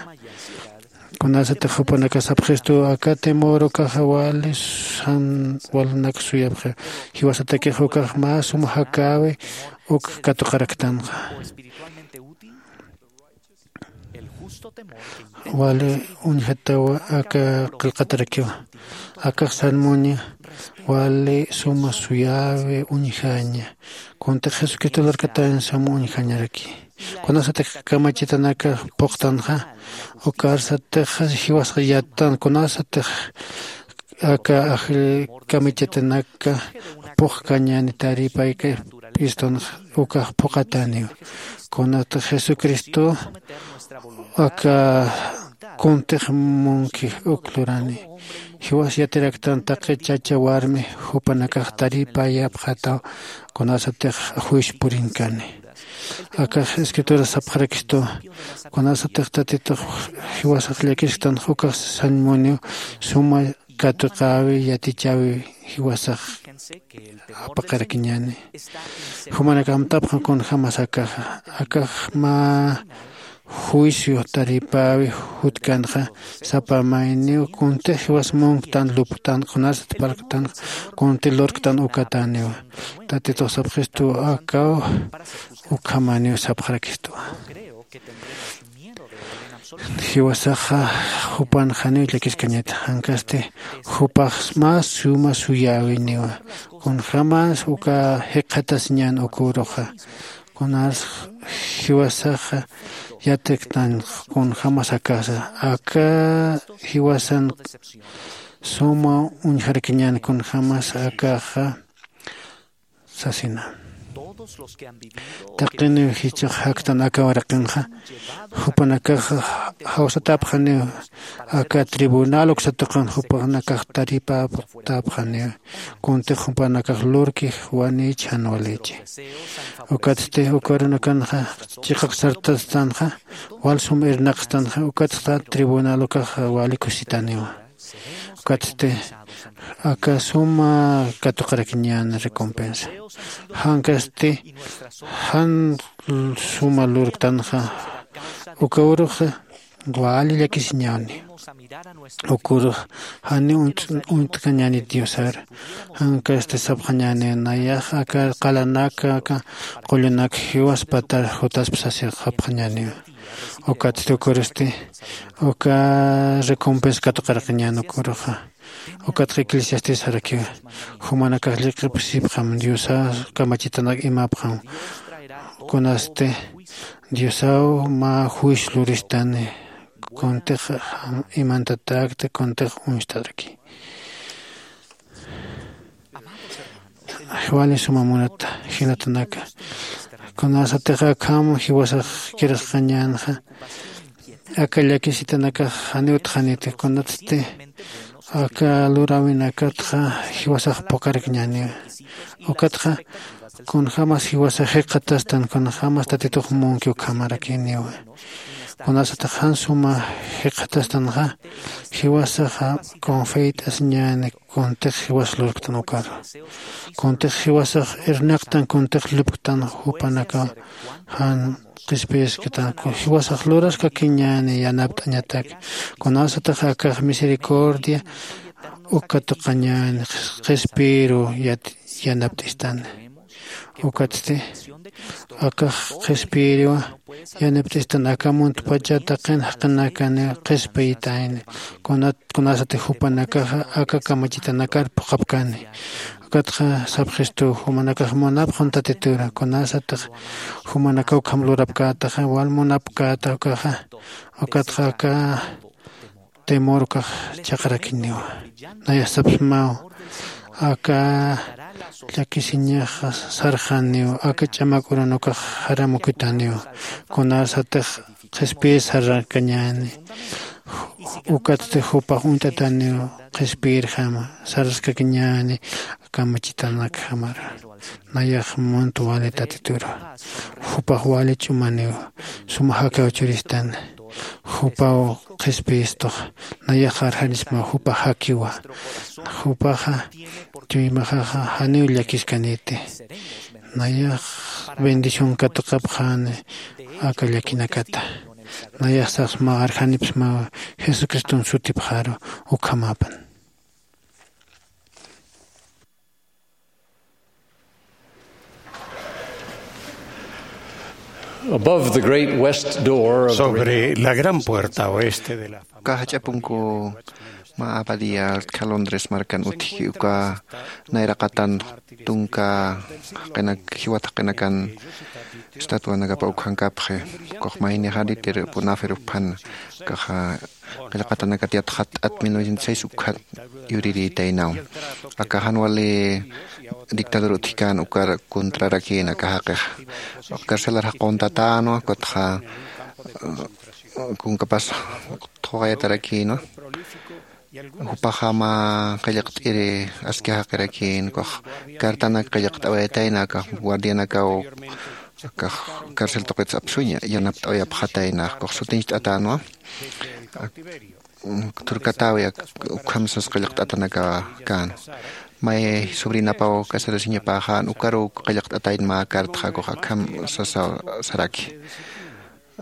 Kunasatix jupanakax sapxistu aka temor ukaxa wali san walnak suyapxi jiwasatakix ukax mä sum jakäwi uk katuqaraktanxa. Wali uñjatawa aka qillqatarakiwa. Akax san muña wali suma suyäwi uñjaña kuntix jesucristo lurkatañ suma uñjañaraki. Kunasatix kamachitanaka phuqtanxa ukarsatix jiwasxa yattan kunasatix aka ajll kamachitanaka phuqkañäni taripayka p'istunxa ukax phuqatäniw. Kunatix jesucristo aka kuntix munki uk lurani jiwas yatiraktan taqi chacha warmi jupanakax taripayapxataw kunasatix juicio purinkani. Akax escrituras sapxarakistu kunasatix tatitux jiwasax llakisktanx ukax sañmuniw suma katuqäwi yatichäwi jiwasax apaqarakiñäni. Jumanakax amtapxan kunjämas akaxa akax mä juicio taripäwi jutkanxa sapa mayniw kuntix jiwas munktan luptan kunasat parlktanxa kunti lurktan ukatäniwa. Tatitux sapxistu akaw ukhamäniw sapxarakistwa. Jiwasaxa jupan janiw llakiskañata jankasti jupax mä suma suyäwiniwa. Kunjämas uka jikxatasiñän uküruxa kunas jiwasaxa yatiktan kunjämas akasa aka jiwasan suma uñjarakiñän kunjämas akaxa sasina. Taqiniw jichhax jaktan aka waraqinxa jupanakax jawsatäpxaniw aka tribunal uksatuqan jupanakax taripätäpxaniw kuntix jupanakax lurki wanïchi jan walichi. Ukatsti ukarunakanxa chiqap sartastanxa wal sum irnaqstanxa ukatxa tribunal ukaxa wali kusitaniwa. Ukatsti aka suma katuqarakiñän recompensa jankasti jan suma lurktanxa uka uruxa wali llakisiñäni. Ukurux jani uñt'kañäni diosar jankasti sapxañäni nayax aka qalanaka aka qullunak jiwas patar jutasp sasixapxañäniwa. Ukatsti ukuristi uka recompensa katuqarakiñän ukuruxa. Ukatxa eclesiastis sarakiwa jumanakax lliqipsipxam diosa kamachitanak imapxam. Kunasti diosaw mä juicio luristani kuntix imantatäkti kuntix uñstatraki. Wali suma munata jinatanaka kunasatix akham jiwasax kirasqañänxa aka llakisitanakax janiw utxaniti kunatsti aka luräwinakatxa jiwasax phuqarakiñäniwa. Ukatxa kunjämas jiwasax jikxatastan kunjämas tatitux munki ukhamarakiniwa. Kunasatix jan suma jikxatastanxa, jiwasaxa confeyt'asiñäni kuntix jiwas lurktan ukaru. Kuntix jiwasax irnaqtan kuntix lupktan jupanakaw jan qhispiyisktan. Jiwasax luraskakiñäni yanapt'añatak. Kunasatix akax misericordia uka tuqañäni qhispiyiru yanapt'istani. Ukatsti akax qhispiyiriwa yanapt'istan aka muntpacha taqin jaqinakaniw qhispiyitayni. Kunasatix jupanakaxa aka kamachitanakar phuqhapkani. Ukatxa sapxistu jumanakax munapxun tatitura kunasatix jumanakaw ukham lurapkätaxa wal munapkäta ukaxa. Ukatxa aka temor ukax chaqrakiniwa. Nayax sapsmaw aka llakisiñaxa sarxaniw aka ch'amak urun ukax jaramukitaniw. Kunasatix qhispiyir sarakañäni. Ukatsti jupax uñt'ataniw qhispiyirjama saraskakiñäni kamachitanakjamara. Nayax munt wali tatituru jupax wali ch'umaniw suma jakaw churistan. Jupaw qhispiyistux nayax arjanisma jupax jakiwa. Jupaxa chuymaxaxa janiw llakiskaniti. Nayax bendición katuqapxani aka llakinakata. Nayax sasma arjanipsmaw jesucriston sutipxaru. Ukhamapan. Above the great west door of the sobre la gran puerta oeste de la kaxach'apunku ma abadía calondres markan utjki uka nayraqatan tunka jiwat jaqinakan estatuanakapa ukhankapxi. Kuxmaynixari tir punafirupan kaxa qillqatanakatiyat jat'at mil novecientos seis ukhat yuriritaynaw. Aka jan wali dictador utjikan ukar contrarakïn aka jaqixa. Carcelar jaquntatänwa kutxa kunkapas thuqayatarakïnwa. Jupaxama qillqt'iri aski jaqirakïn kux cartanak qillqt'awayatayna aka guardianakaw aka carcel tuqits apsuña yanapt'awayapxatayna kux sutincht'atänwa. Turkatäwi ukham sas qillqt'atanaka kän. May sobrinapaw casarasiñapäxän ukaruw qillqt'atayn mä cartxa kux akham sasaw saraki.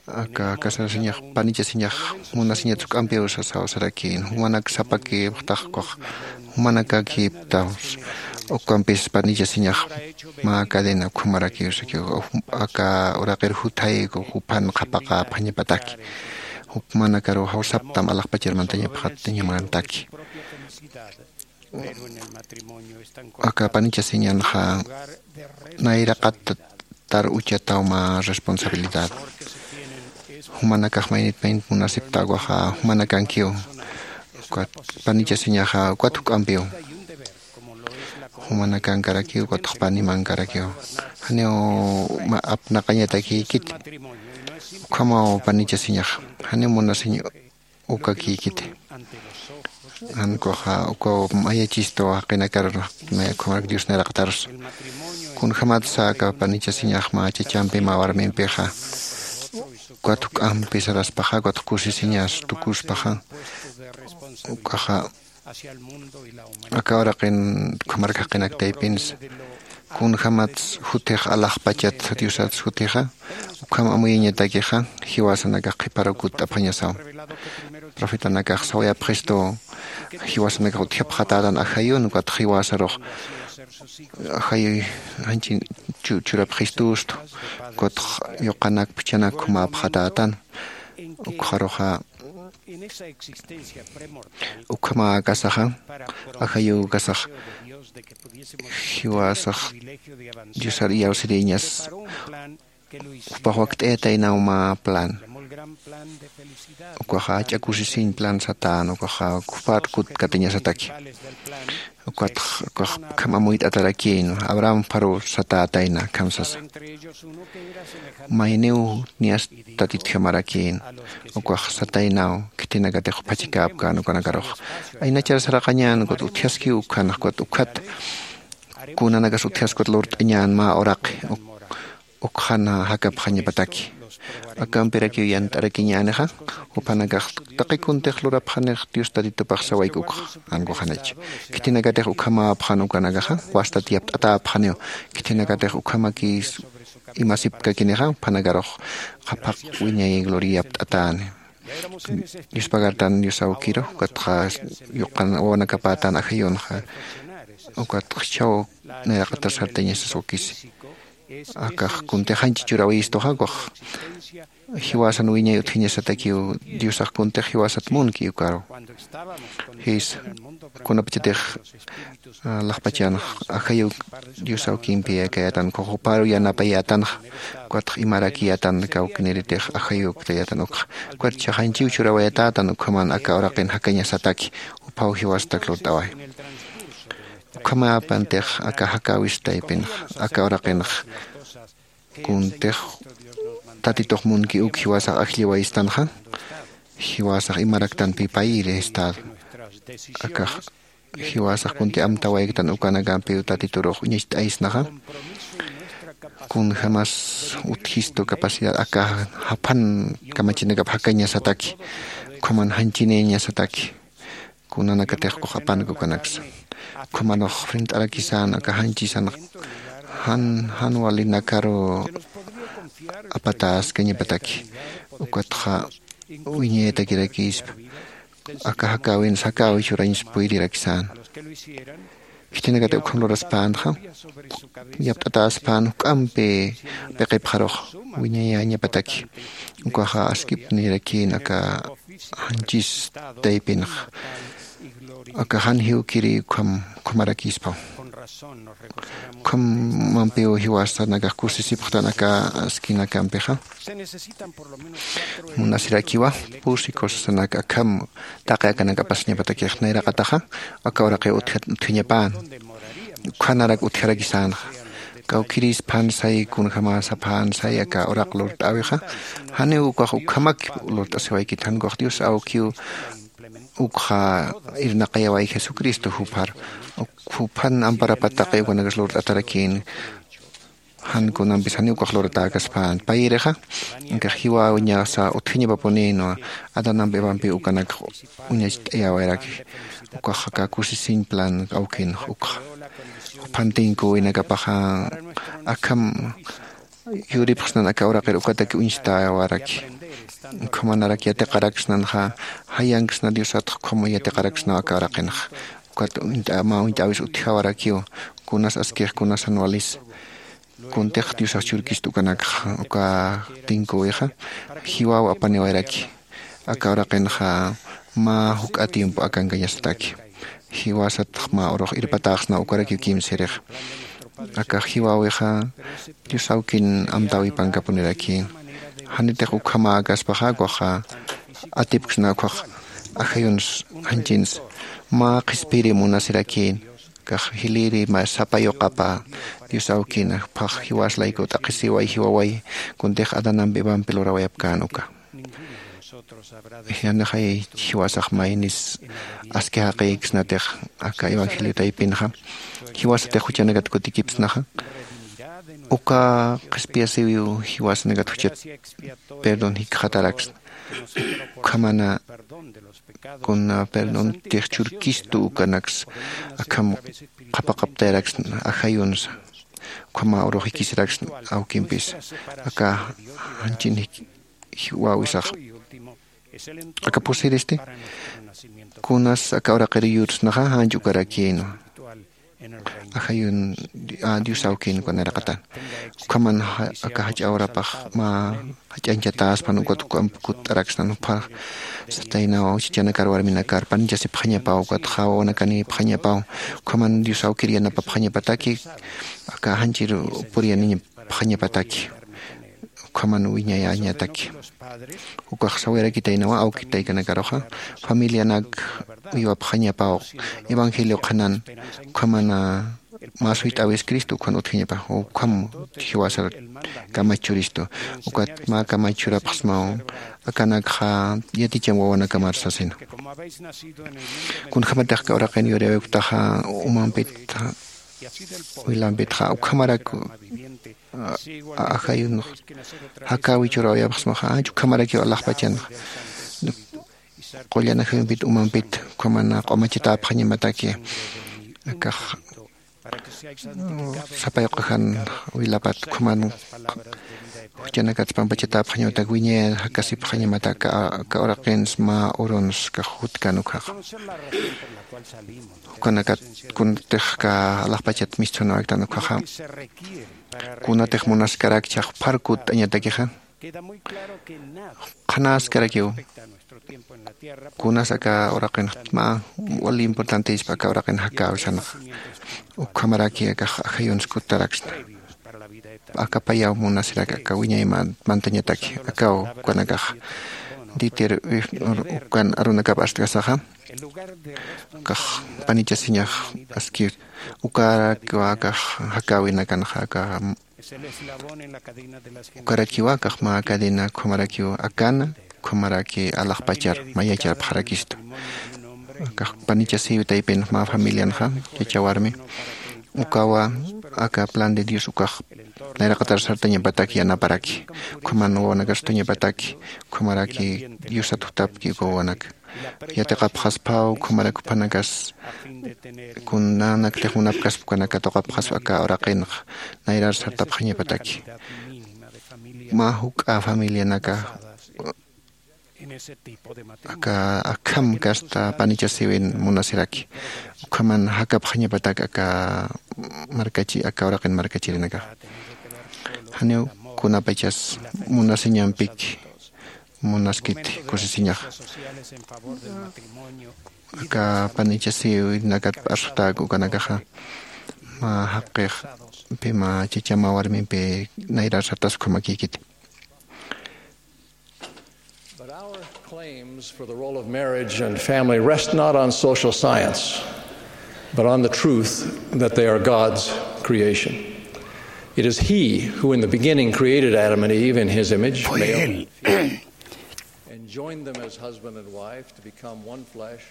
Aka casarasiñax panichasiñax munasiñat juk'ampiw sasaw sarakïn jumanak sapakïpxtax kux jumanakakïptaw. Ukampis panichasiñax mä cadena ukhamarakiw sakiw aka uraqir juthayiku juphan qhapaqäpxañapataki. Jumanakaruw jawsaptam alaxpachar mantañapxatañamantaki. Aka panichasiñanxa nayraqatar uchataw mä responsabilidad. Jumanakax maynit maynit munasipta ukaxa jumanakankiw. Ukat panichasiñaxa ukat juk'ampiw. Jumanakankarakiw ukatx panimankarakiw. Janiw apnaqañatakïkiti. Ukhamaw panichasiñax janiw munasiñ ukakïkiti. Jan kuxa ukaw mayachistu jaqinakar naya ukhamarak dios nayraqatarus. Kunjämatsa aka panichasiñax mä chachampi mä warmimpixa ukat juk'ampi saraspaxa ukat kusisiñas tukuspaxa ukaxa aka uraqin ukhamarka jaqinak taypinsa. Kunjämats jutix alaxpachat diosats jutixa ukham amuyañatakixa jiwasanakax qhiparuw kutt'apxañasaw. Profetanakax sawayapxistu jiwasanakax utjapxatätan ajayun ukatx jiwasarux ajayuy janchin churapxistustu. Ukatx yuqanak phuchhanak jumäpxatätan. Ukxaruxa ukhamäkasaxa ajayukasax jiwasax diosar iyawsiriñas jupax wakt'ayataynaw mä plan. Ukaxa ach'a kusisiñ plan satän ukaxa jupar kutkatiñasataki. Ukatx ukax ukham amuyt'atarakïn abraham pharu satätayna akham sasa. Mayniw niyas tatitjamarakïn ukax sataynaw khitinakatix juphachikäpkän ukanakarux aynachar saraqañän ukat utjaskiw ukkhan ukat ukkhat kunanakas utjaskut lurt'añän mä uraqi ukxana jakapxañapataki. Akampirakiw yant'arakiñänixa, jupanakax taqi kuntix lurapxanix Dios Tatitupax sawayk ukxa, ankuxanach. Khitinakatix ukhamäpxan ukanakaxa, wastat yapt'atäpxaniw. Khitinakatix ukhamakis imasipkakinixa, juphanakarux qhapaq wiñay gloria yapt'atäni. Yuspagartan Dios awkiru, ukatxa yuqan wawanakapätan ajayunxa, ukatxa jichhaw nayraqatas sartañasas wakisi. Akax kuntix janchi churawistuxa, ukax jiwasan wiñay utjañasatakiw, Diosax kuntix jiwasat munki ukaru. Jis, kunapachatix, ah, laxpachanx ajayuk Dios awkimpi akayätan, ukax juparu yanapayätanxa, ukatx imarakiyätan kawkiniritix ajayuktayätan ukxa. Ukat jichhax janchiw churawayatätan, ukhaman aka uraqin jakañasataki, juphaw jiwasatak lurt'away. Ukhamäpantix aka jakäwis taypinx, aka uraqinx kuntix Tatitux munki uk jiwasax ajlliwayistanxa, jiwasax imaraktanpi payiri estado. Akax jiwasax kunti amtawayktan ukanakampiw Tatiturux uñacht'aysnaxa. Kunjamas utjistu capacidad aka japhan kamachinakap jakañasataki, ukhaman janchiniñasataki. Kunanakatix ukax apanka ukanaksa. Ukhamanux frent'arakisän aka janchisan jan, jan walinakaru apatäskañapataki. Ukatxa wiñayatakirakispa. Aka jakäwins jakäwi churañs puyirirakisän. Khitinakatix ukham luraspänxa, yapt'atäspän juk'ampi piqipxarux wiñayäñapataki. Ukaxa askipnirakïn aka janchis taypinx. Aka jan jiwkiri ukham, ukhamarakispaw. Ukhamampiw jiwasanakax kusisipxtan aka askinakampixa. Munasirakiwa, pusi cosasanak akham taqi akanak apasañapatakix nayraqataxa, aka uraqiw utja-, utjañapän. Ukhanarak utjarakisänxa. Kawkïris phansay, kunjämasa phansay aka uraq lurt'äwixa. Janiw ukax ukhamak lurt'asiwaykit, jan ukax Dios awkiw ukxa irnaqayaway Jesucristo jupar. Uk-, juphan amparapa taqi ukanakas lurt'atarakïn. Jan kunampis janiw ukax luratäkaspän. Payirixa, ukax jiwawiñasa utjañapapunïnwa, Adanamp Evampiw ukanak uñacht'ayawayaraki. Ukax aka kusisiñ plan awkinx ukxa. Juphan tinküwinakapaxa akham yuripxsnan aka uraqir ukatak uñstawaraki. Ukhamanarak yatiqaraksnanxa, jayanksna Diosatx ukham yatiqaraksnaw aka uraqinx. Ukat uñt'a-, mä uñt'äwis utjawarakiw, kunas askix, kunas jan walis. Kuntix Diosax churkist ukanakxa, uka tinküwixa, jiwaw apaniwayraki. Aka uraqinxa mä juk'a tiempo akankañasataki. Jiwasatx mä urux irpatäxsna ukarakiw kimsirix. Aka jiwawixa Dios awkin amtäwipankapuniraki. Janitix ukhamäkaspaxa, ukaxa atipksna ukax ajayuns janchins mä qhispiri munasirakïn. Ukax jiliri mä sapa yuqapa Dios awkin, juphax jiwas layku t'aqhisiway, jiwaway, kuntix Adanamp Evampi lurawayapkän uka. Yanixay jiwasax maynis aski jaqïksnatix aka evangelio taypinxa, jiwasatix juchanakat kutikipsnaxa, uka qhispiyasiwiw jiwasanakat juchat perdón jikxataraksna. Ukhamana kuna perdontix churkistu ukanaks akham qhapaqaptayaraksna ajayunsa. Ukhama urux jikisiraksna awkimpis. Aka janchin jik-, jiwawisax. Aka pusiristi, kunas aka uraqir yursnaxa janch ukarakïnwa. Ajayun, a, Dios awkin uka nayraqatan. Ukhaman ja-, aka jach'a urapax mä jach'añchatäspan ukat ukamp kutt'araksnan jupha sataynaw chachanakar warminakar panchasipxañapaw, ukat wawanakänipxañapaw. Ukhaman Dios awkir yanapapxañapataki, aka janchir puriyaniñapxañapataki. Ukhaman wiñayäñataki. Ukax sawirakitaynawa awki taykanakaruxa, familianak uywapxañapaw evangelio qhanan, ukhamana mä suyt'äwis Cristo ukhan utjañapax, ukham jiwasar kamach churistu, ukat mä kamach churapxsmaw, akanakxa yaticham wawanakamar sasina. Kunjämatix aka uraqin yurïwayuktaxa umampit Wilampitxa ukhamarak ajayunx jakäwi churäwayapxsmaxa, ukhamarakiw alaxpachanxa qullan ajayumpit umampit ukhamana q'umachatäpxañamataki. Akax sapay q'ujan wilapat ukhaman juchanakats pampachatäpxañawatak wiñay jakasipxañamatak aka uraqins mä uruns kax jutkan ukhaxa. Jukanakat kuntix ka alaxpachat misthunawaktan ukhaxa kunatix munaskarak chhax pharkutt'añatakixa qhanaskarakiw. Kunas aka uraqinxtma wal importantispa aka uraqin jakäwisanxa ukhamaraki akax ajayuns kutaraksna. Aka payaw munasirak aka wiñay mantañataki akaw ukanakax ditir ukan arunakap arstkasaxa kax panichasiñax aski ukarakiwa akax jakäwinakanxa aka ukarakiwa akax mä cadena ukhamarakiw akana ukhamaraki alaxpachar mayacharpxarakistu. Akax panichasiw taypin mä familianxa chacha warmi ukawa aka plan de dios ukax nayraqatar sartañapatak yanaparaki ukhaman wawanakar sutañapataki ukhamaraki diosat jutapki uka wawanaka yatiqapxaspaw ukhamarak uphanakas kunanak lixmunapkaspa ukanaka tuqapxaspa aka uraqinxa nayrar sartapxañapataki mä juk'a familianaka aka akham kasta panichasiwin munasiraki ukhaman jakapxañapatak aka markachi aka uraqin markachirinaka janiw kunapachas munasiñampiki munaskiti kusisiñaxa aka panichasiwinakat p'arsutäk ukanakaxa mä jaqix pima chachama warmimpi nayrar sartas ukhamakïkiti. But our claims for the role of marriage and family rest not on social science, but on the truth that they are God's creation. It is He who, in the beginning, created Adam and Eve in His image, male and female, and joined them as husband and wife to become one flesh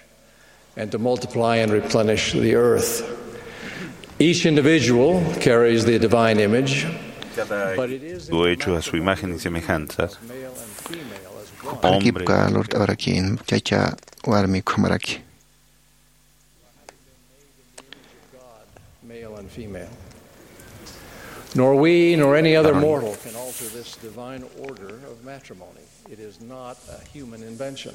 and to multiply and replenish the earth. Each individual carries the divine image, but it is in the Lo hecho a su imagen y semejanza. male and female as God Jupanakipka lurt'awarakin chacha warmi ukhamaraki. male and female. Nor we nor any other mortal can alter this divine order of matrimony. It is not a human invention.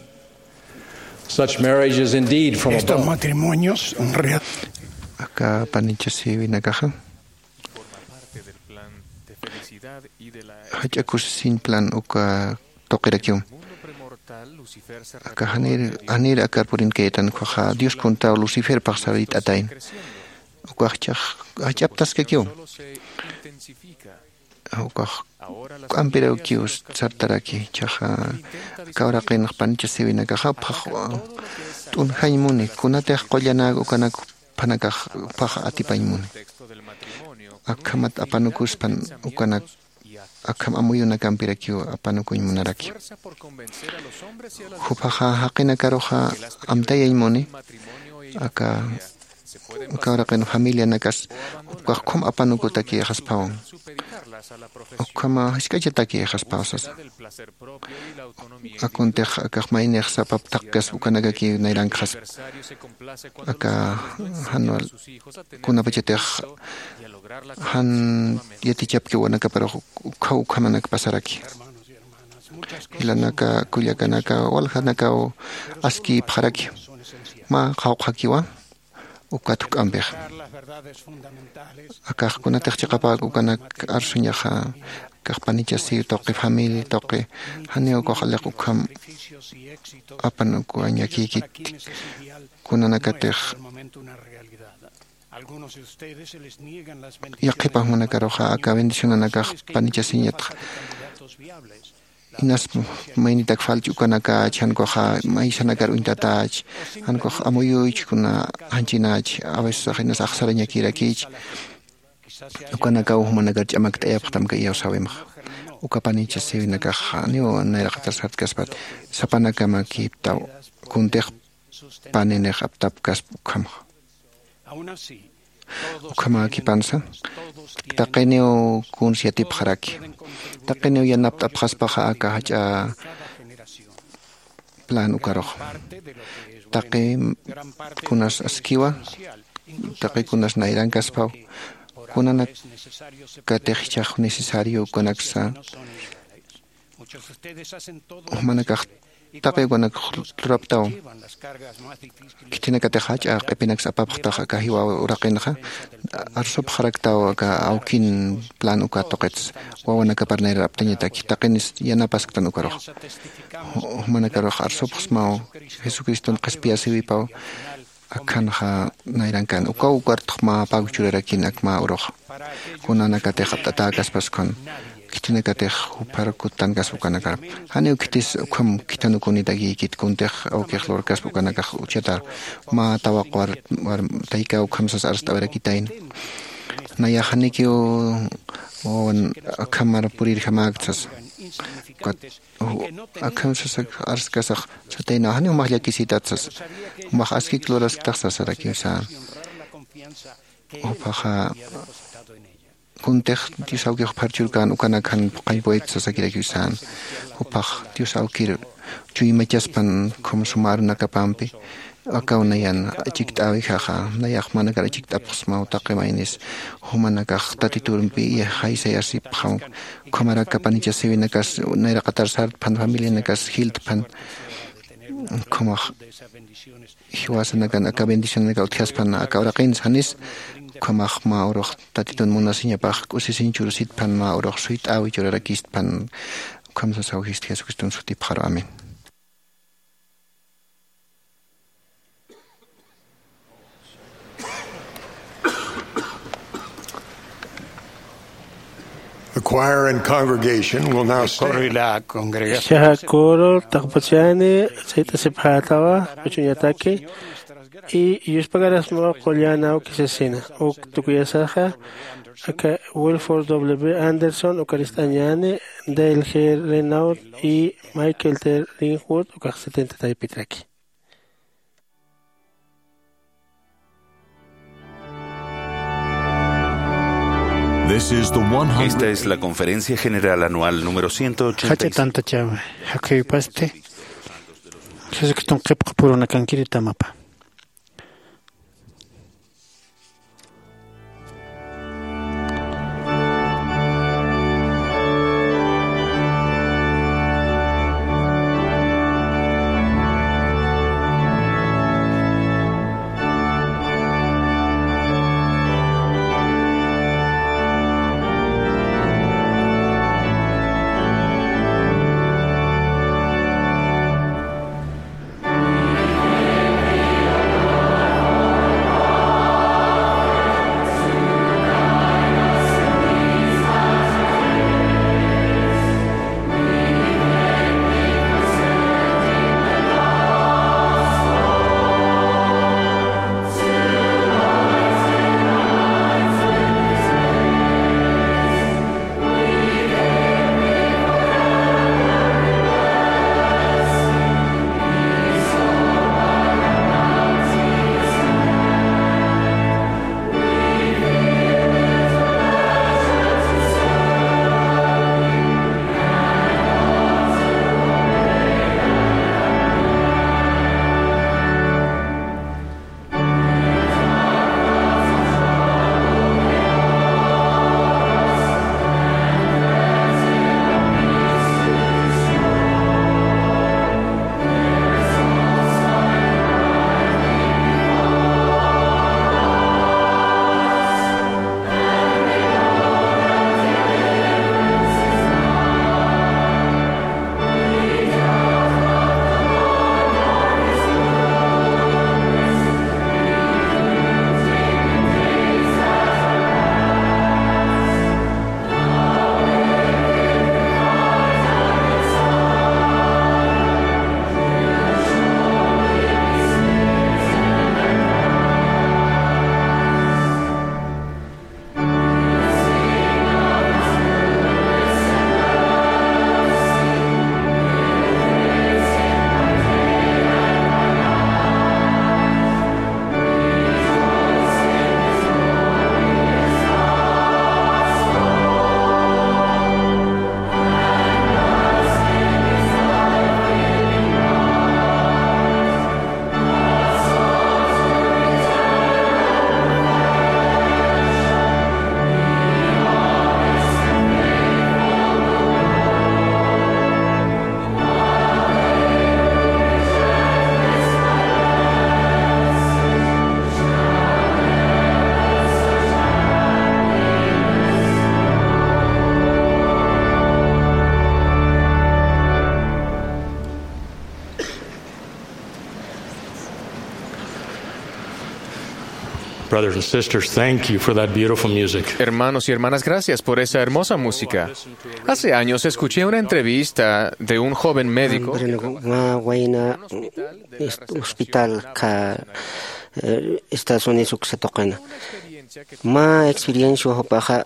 Such marriage is indeed from Estos above. Matrimonios real- Aka panichasiwinakaxa jach'a kusisiñ plan uka tuqirakiw. Aka janir janir akar purin kaytan ukhaxa Dios puntaw Lucifer paxsarit'atayn. Ukax chhax jach'aptaskakiw. Ukax k'ampirakiw sartaraki chhaxa aka uraqinx panichasiwinakaxa phax t'unjañ muni kunatix qullanäk ukanak phanakax phax atipañ muni. Akhamat apanukuspan ukanak akham amuyunakampirakiw apanukuñ munaraki. Juphaxa jaqinakaruxa amtayañ muni aka aka uraqin familianakas jupkax ukham apanukutakïxaspawan. Ukhama jisk'achatakïxaspaw sasa. Akuntix akax maynix sapap thaqkaspa ukanakakiw nayrankxaspa. Aka janwal kunapachatix jan yatichapki wanakaparux ukhaw ukhamanak pasaraki. Jilanaka kullakanaka waljanakaw askïpxaraki mä qhawqhakiwa ukat juk'ampix. Akax kunatix chiqapäk ukanak arsuñaxa akax panichasiw tuqi familia tuqi janiw ukax aliq ukham apanukuwañakïkit kunanakatix yaqhipax munakaruxa aka bendicionanakax panichasiñatxa. Inas maynitak falch ukanakach jankuxa maysanakar uñtatach jankux amuyuych kuna janchinach a veces inas axsarañakirakich. Ukanakaw jumanakar ch'amakt'ayapxtamka iyawsäwimxa uka panichasiwinakax janiw nayraqatar sartkaspat sapanakamakiptaw kuntix paninix aptapkaspa ukhamxa. Ukhamäkipansa taqiniw kuns yatipxaraki. Taqiniw yanapt'apxaspaxa aka jach'a plan ukarux. Taqi kunas askiwa, taqi kunas nayrankaspaw, kunanakatix jichhax necesario ukanaksa, jumanakax taqi ukanak luraptaw. Khitinakatix jach'a q'ipinaksa apapxtax aka jiwa uraqinxa, arsupxaraktaw aka awkin plan uka tuqits, wawanakapar nayraraptañataki, taqinis yanapasktan ukarux. Jumanakarux arsupxsmaw Jesucriston qhispiyasiwipaw, akhanxa nayrankan ukaw ukartx mä pag churarakin ak mä urux. Kunanakatix apt'atäkaspas ukan, khitinakatix juphar kuttankas ukanakar. Janiw khitis ukham khithanukunitakiykit kuntix awkix lurkaspa ukanakax uchatar mä tawaq war, war tayka ukham sas arst'awirakitayna. Nayax janikiw wawan akhamar purirjamäktsas. Ukat, u, akham sasak arskasax satayna, janiw jumax llakisitatsas. Jumax askik lurasktax sasarakiw sän. Jupaxa kuntix Dios awkix juphar churkän ukanak jan phuqhañ puwayt sasakirakiw sän. Jupax Dios awkir chuymachaspan khum suma arunakapampi, akaw nayan achikt'äwijaxa, nayax jumanakar achikt'apxsmaw taqi maynis. Jumanakax Tatiturumpi jaysayasipxam, ukhamaraki apanichasiwinakas nayraqatar sartpan, familianakas jiltpan, ukhamäx jiwasanakan aka bendicionanaka utjaspan aka uraqinsa janis, ukhamäx mä urux Tatitun munasiñapax k'usisiñ churasitpan, mä urux suyt'äwi churarakistpan. Ukham sasaw jist Jesucriston sutipxaru. Amén. The choir and congregation will now stand. Coro y la congregación. Ichaxa coro taqpachani, sayt'asipxätawa, uchuñataki, y yuspagarasmaw qullan awkisasina, uk tukuyasaxa, aka Wilford W. Anderson, uka ist'añani, Dale G. Renaud y Michael T. Ringwood, ukax setenta taypitraki. This is the one hundred. Esta es la conferencia general anual número ciento ochenta y cinco. Jach'a tantachäwi, jakhuypasti Jesucriston qhipqapurunakankiri tamapa. Brothers and sisters, thank you for that beautiful music. Hermanos y hermanas, gracias por esa hermosa música. Hace años escuché una entrevista de un joven médico. Mä wayna hospital ka, eh, Estados Unidos uksa tuqina. Mä experiencia jupaxa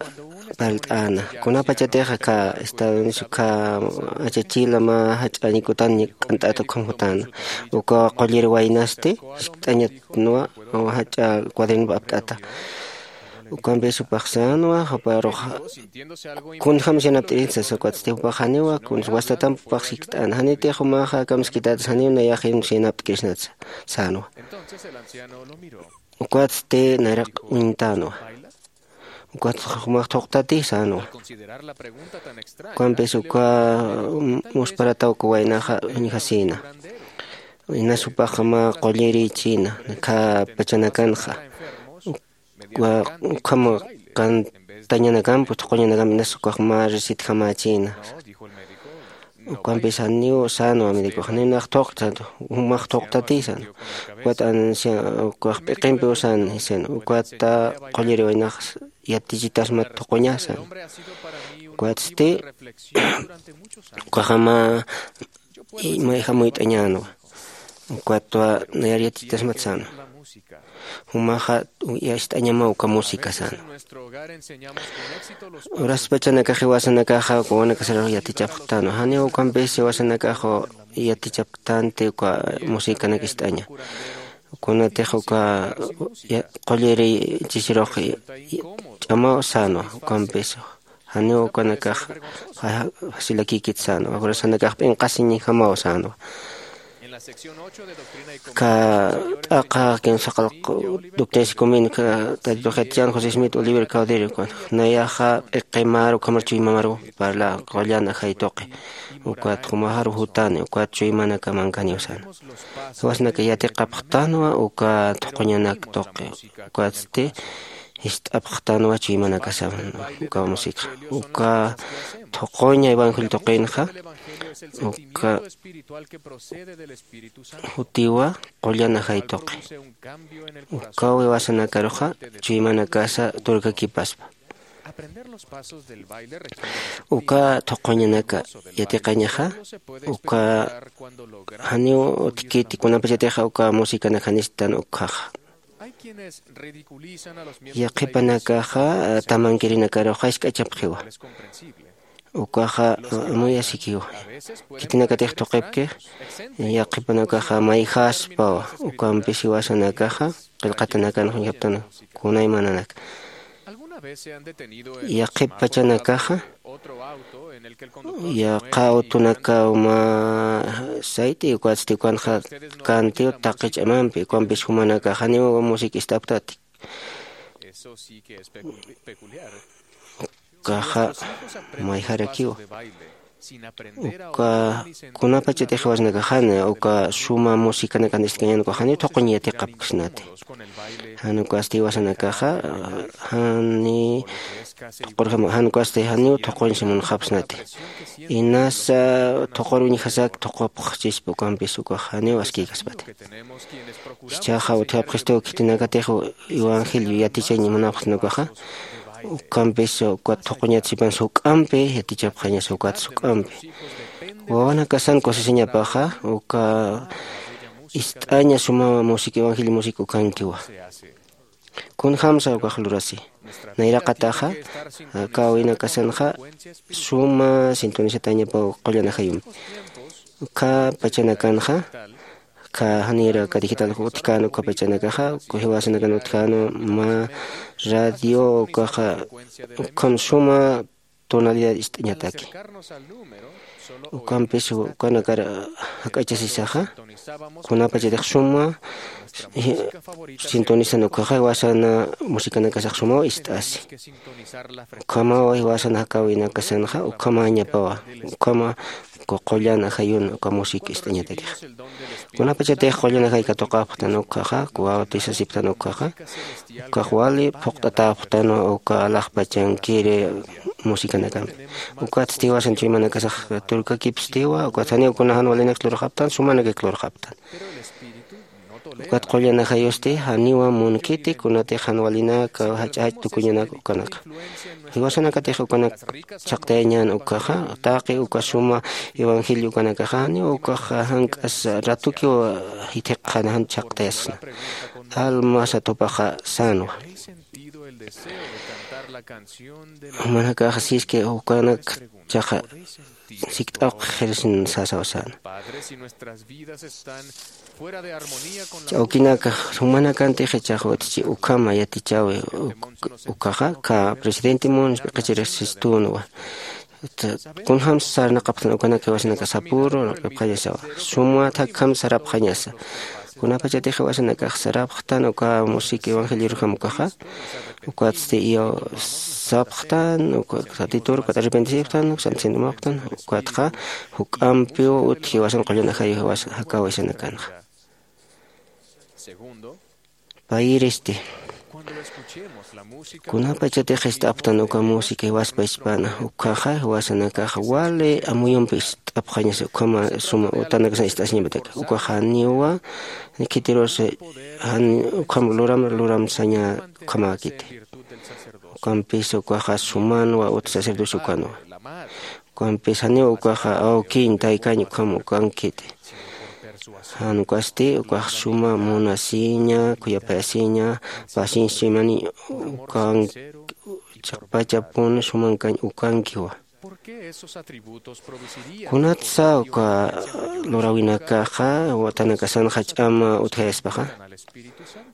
parlt'äna. Kunapachatix ka Estados Unidos ka achachila mä jach'a ñikutan ñik'ant'at ukham jutäna. Uka qullir waynasti jiskt'añatnwa jach'a cuaderno apt'ata. Ukampis jupax sänwa, juparux kunjam yanapt'irinsa sasa, ukatsti jupax janiwa, kuns wastatamp jupax jiskt'äna. Janitix jumaxa kamskitatas janiw nayax yanapt'kirisnatsa sänwa. Ukatsti nayraq uñtänwa. Ukatsti jumax thuqtati sänwa. Ukampis uka, mm, musparataw uka waynaxa uñjasïna. Inas jupax mä qullirïchïna, khä pachanakanxa. Uka, ukham qantañanakamp, thuquñanakamp, inas ukax mä recetjamächïna. Ukampis janiw sänwa médicox, janiw nax thuqta, jumax thuqtati sän. Ukat ancia, ukax p'iqimpiw sän, jisan. Ukata qulliri waynax yatichitasmat thuquña sän. Ukatsti, ukaxa mä, mayjam uyt'añänwa. Ukatwa nayar yatichitasmat sänwa. Jumaxa ist'añamaw uka música sänwa. Uraspachanakax jiwasanakaxa uka wawanakasarux yatichapxtanwa. Janiw ukampis jiwasanakax yatichapktänti uka musicanak ist'aña. Kunatix uka, ya, qulliri chisirux, ya, ch'amaw sänwa, ukampis janiw ukanakax fa-, facilakïkit sänwa, urasanakax p'inqasiñjamaw sänwa. Ka t'aqa kinsa qallq Doctrina y Convenios ka Tatitux yatichän José Smith Oliver Cowdery, ukan nayaxa p'iqimar ukhamar chuymamaru parla qullan ajay tuqi. Ukat jumaxaru jutani, ukat chuymanakamankañaw sän. Jiwasanaka yatiqapxtanwa uka thuquñanak tuqi. Ukatsti jist'apxtanwa chuymanakasaman uka música. Uka thuquña evangelio tuqinxa, uka jutiwa qullan ajay tuqi. Ukaw jiwasanakaruxa chuymanakasa turkakipaspa. Uka thuquñanaka yatiqañaxa, uka janiw utjkiti kunapachatixa uka musicanak janistän ukhaxa. Yaqhipanakaxa, tamankirinakaruxa jisk'achapxiwa. Ukaxa, muy asikiwa. Khitinakatix thuqipki, yaqhipanakaxa mayjaspawa, ukampis jiwasanakaxa, qillqatanakan juñjaptan, kunaymananak. Yaqhip pachanakaxa, yaqha autonakaw mä sayti, ukatsti ukanxa kantiw taqi ch'amampi, ukampis jumanakax janiw música ist'apktati. Ukaxa mayjarakiwa. Uka kunapachatix jiwasanakax jan uka suma musicanakan ist'kañän ukax janiw thuquñ yatiqapksnati. Jan ukasti jiwasanakaxa, jani thuqurjama, jan ukasti janiw thuquñsa munxapsnati. Inasa thuqur uñjasak thuqupxchispa ukampis ukax janiw askïkaspati. Jichhaxa utjapxistu khitinakatix evangelio yatichañ munapxsna ukaxa, ukampis uka thuquñat sipan suk'ampi yatichapxañasa ukat suk'ampi. Wawanakasan kusisiñapaxa, uka ist'aña suma música, evangelio música ukankiwa. Kunjamsa ukax lurasi. Nayraqataxa, aka awinakasanxa suma sintonizatañapaw qullan ajayumpi. Uka pachanakanxa, uka janïra uka digital utjkän uka pachanakaxa, uka jiwasanakan utjkänwa mä radio ukaxa, ukham suma tonalidad ist'añataki. Ukampis ukanakar jak'achasisaxa, kunapachatix suma, eh, sintonizan ukaxa, jiwasana musicanakasax sumaw ist'asi. Ukhamaw jiwasana jakawinakasanxa, ukhamañapawa, ukhama uka qullan ajayun uka música ist'añatakixa. Kunapachatix qullan ajay katuqapxtan ukaxa, bautizasipxtan ukaxa, ukax wali phuqt'atapxtanwa uka alaxpachankiri musicanakampi. Ukatsti jiwasan chuymanakasax turkakipstiwa, ukat janiw kuna jan walinak lurxaptan, sumanak lurxaptan. Ukat qullan ajayusti janiwa munkiti kunatix jan walinaka jach'a jach'a tukuñanaka ukanaka. Jiwasanakatix ukanak chhaqtayañän ukaxa, taqi uka suma evangelio ukanakaxa janiw ukaxa jank'as ratukiw jithiqxana jan chhaqtayasxna. Alma satupaxa sänwa. Jumanakaxa siski ukanak chaqa sikt'awq qhirisin sasaw säna. Awkinaka, jumanakantix ichax utji ukhama yatichäwi uk-, ukaxa, ka presidente Mons p'iqichirix sistunwa. Kunjam sarnaqapxtan ukanak jiwasanaka sapüru laq'ipxañasawa. Sumat jakham sarapxañasa. Kunapachatix jiwasanakax sarapxtan uka música evangelioruxam ukaxa. Ukatsti iyaw sapxtan, uka satitur, ukat arrepentisipxtan, uka santo siento mawxtan, ukatxa juk'ampiw utji jiwasan qullan ajayu jiwas jakäwisanakanxa. Payiristi. Kunapachatix ist'apxtan uka música jiwaspa ispana, ukkhaxa jiwasanakax wali amuyumpi ist'apxañasa ukhama suma utanakasan ist'asiñapataki. Ukaxa janiwa khitirus jan ukham luram luram saña ukhamäkiti. Ukampis ukaxa sumanwa utji sacerdocio ukanwa. Ukampis janiw ukaxa awkiñ taykañ ukham ukankiti. Jan ukasti ukax suma munasiña, khuyapayasiña, pacienciañani ukanki, chiqpachapun sumankañ ukankiwa. Kunatsa uka luräwinakaxa utanakasanxa ch'ama utjayaspaxa,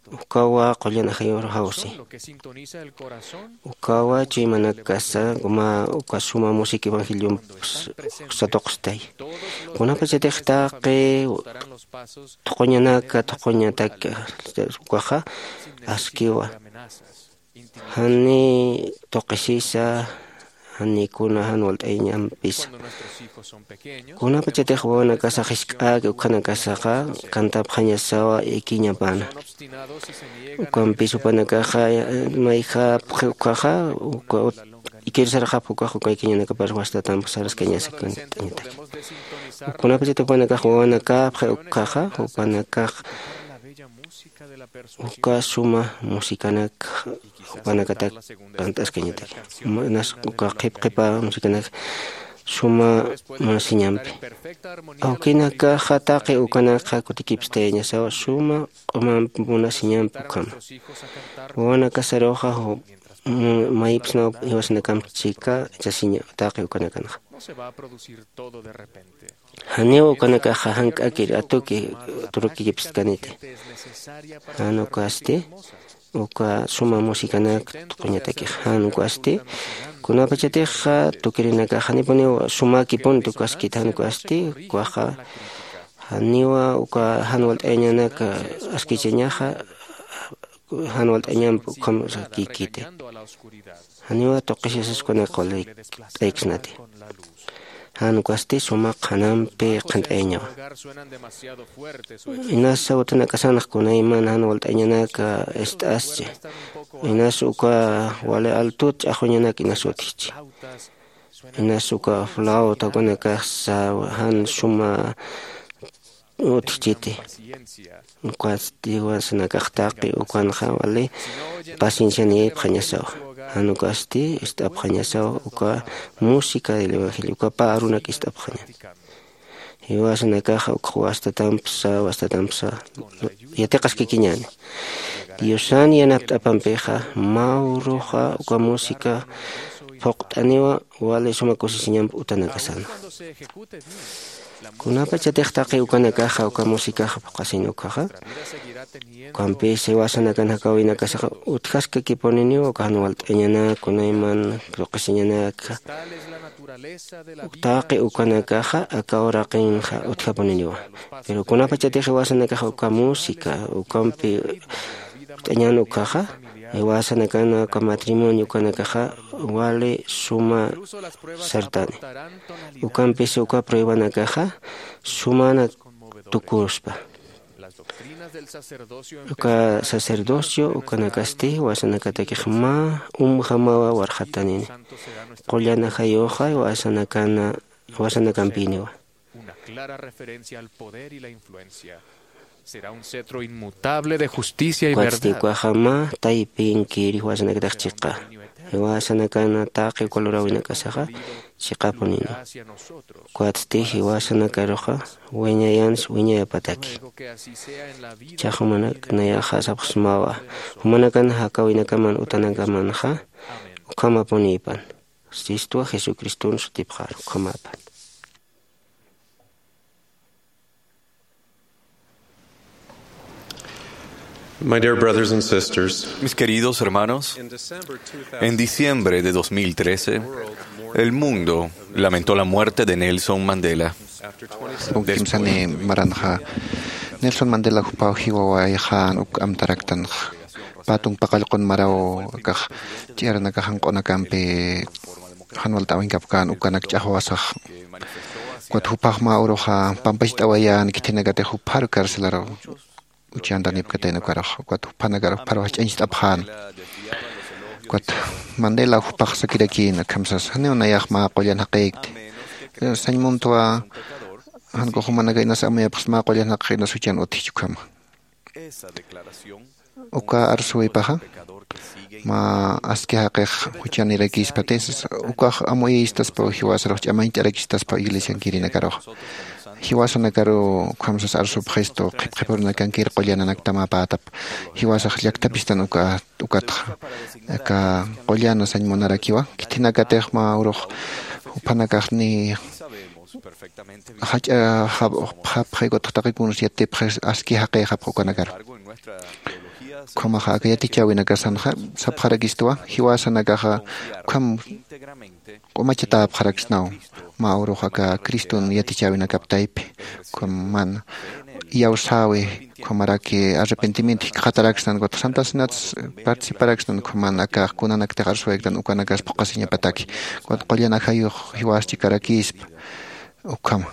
ukawa qullan ajayur jawsi. Ukawa chuymanakasa mä uka suma música evangeliomp satuqstay. Kunapachatix taqi thuquñanaka thuquñatak ukaxa askiwa. Jani tuqisisa, jani kuna jan walt'ayañampisa. Kunapachatix wawanakasax jisk'äki ukhanakasaxa cantapxañasawa ikiñapana. Ukampis jupanakaxa mayjap ukhaxa uka ut-, ikirsarxap ukax uka ikiñanakapar wastatamp saraskañasa cant'añataki. Kunapachatix jupanakax wawanakapxi ukhaxa jupanakax uka suma musicanak jupanakatak cant'askañataki. Inas uka qhip qhipa musicanak suma munasiñampi. Awkinakaxa taqi ukanakxa kutikipstayañasawa suma q'umamp munasiñamp ukhama. Wawanakasaruxa ju-, mu-, mayipsnaw jiwasanakamp chika chasiña taqi ukanakanxa. Janiw ukanakaxa jank'akir atuki turukikipstkaniti. Jan ukasti uka suma musicanak thuquñatakix. Jan ukasti kunapachatix tukirinakax janipuniw sumakipun tukaskit. Jan ukasti ukaxa janiwa uka jan walt'ayañanak askichañaxa, jan walt'añamp ukham sakikiti. Janiwa tuqisisas ukanak walt'ayaksnati. Jan ukasti suma qhanampi qhant'ayañawa. Inasa utanakasanx kunayman jan walt'ayañanak ist'aschi. Inas uka wali altut ch'axwañanak inas utjchi. Inas uka flauta ukanakax jan suma utjchiti. Ukasti jiwasanakax taqi ukanxa wali paciencianïpxañasawa. Jan ukasti ist'apxañasawa uka música del evangelio, uka pä arunak ist'apxaña. Jiwasanakaxa ukx wastatampsa, wastatampsa yatiqaskikiñäni. Diosan yanapt'apampixa mä uruxa uka música phuqt'aniwa wali suma kusisiñamp utanakasanxa. Kunapachatix taqi ukanakaxa uka musicaxa phuqasini ukkhaxa, ukampis jiwasanakan jakäwinakasaxa utjaskakipuniniwa uka jan walt'añanak, kunayman tuqisiñanak, taqi ukanakaxa aka uraqinxa utjapuniniwa. Pero kunapachatix jiwasanakaxa uka música ukampi ut'añän ukkhaxa, jiwasanakan uka matrimonio ukanakaxa wali suma sartani. Ukampis uka pruebanakaxa sumana tukuspa. Uka sacerdocio ukanakasti jiwasanakatakix mä umjamawa warxatanini. Qullan ajayuxa jiwasanakana, jiwasanakampiniwa. Será un cetro inmutable de justicia y verdad. Ukaxa mä taypinkiri jiwasanakatix chiqa. Jiwasanakan taqi uka luräwinakasaxa chiqapunini. Ukatsti jiwasanakaruxa wiñayansa wiñayapataki. Ichax jumanak nayaxa sapxsmawa, jumanakan jakäwinakaman utanakamanxa ukhamapunïpan. Sistwa Jesucriston sutipxar ukhamapan. My dear brothers and sisters, mis queridos hermanos, en diciembre de dos mil trece, el mundo lamentó la muerte de Nelson Mandela. Uk kimsani maranxa Nelson Mandela jupaw jiwawayxän uk amtaraktanxa. Pä tunkpa qallqun maraw akax ch'iranakax janq'unakampi jan walt'äwinkapkän ukanak ch'axwasax. Ukat jupax mä uruxa pampacht'awayän khithinakatix jupharu carcelaru uchantanipkatayna ukarux. Ukat juphanakar jupharu jach'añcht'apxän. Ukat Mandela jupax sakirakïna akham sasa, janiw nayax mä qullan jaqïkti. Sañ muntwa jan ukax jumanaka inas amuyapxsa mä qullan jaqïkti inas juchan utjich ukhama. Uka arsuwipaxa mä aski jaqix juchanirakispati sasa, ukax amuyïstaspa jiwasarux ch'amañt'arakistaspa iglesiankirinakaruxa. Jiwasanakaru ukham sasa arsupxistu qhipqhipurunakankir qullananaktamäpätap. Jiwasax llakthapistan uka ukatxa aka qullana sañ munarakiwa. Khithinakatix mä urux juphanakax ni jach'a japxi ukatxa taqi kuns yatipxi aski jaqïxapxi ukanakaru. Ukhamaxa aka yatichäwinakasanxa sapxarakistuwa jiwasanakaxa ukham q'umachatäpxaraksnaw mä urux aka Criston yatichäwinakap taypi. Ukham man iyawsäwi ukhamaraki arrepentimiento jikxataraksnan ukat santa cenats participaraksnan ukhaman akax kunanaktix arsuwaytan ukanakas phuqhasiñapataki. Ukat qullan ajayux jiwas chikarakispa ukhama.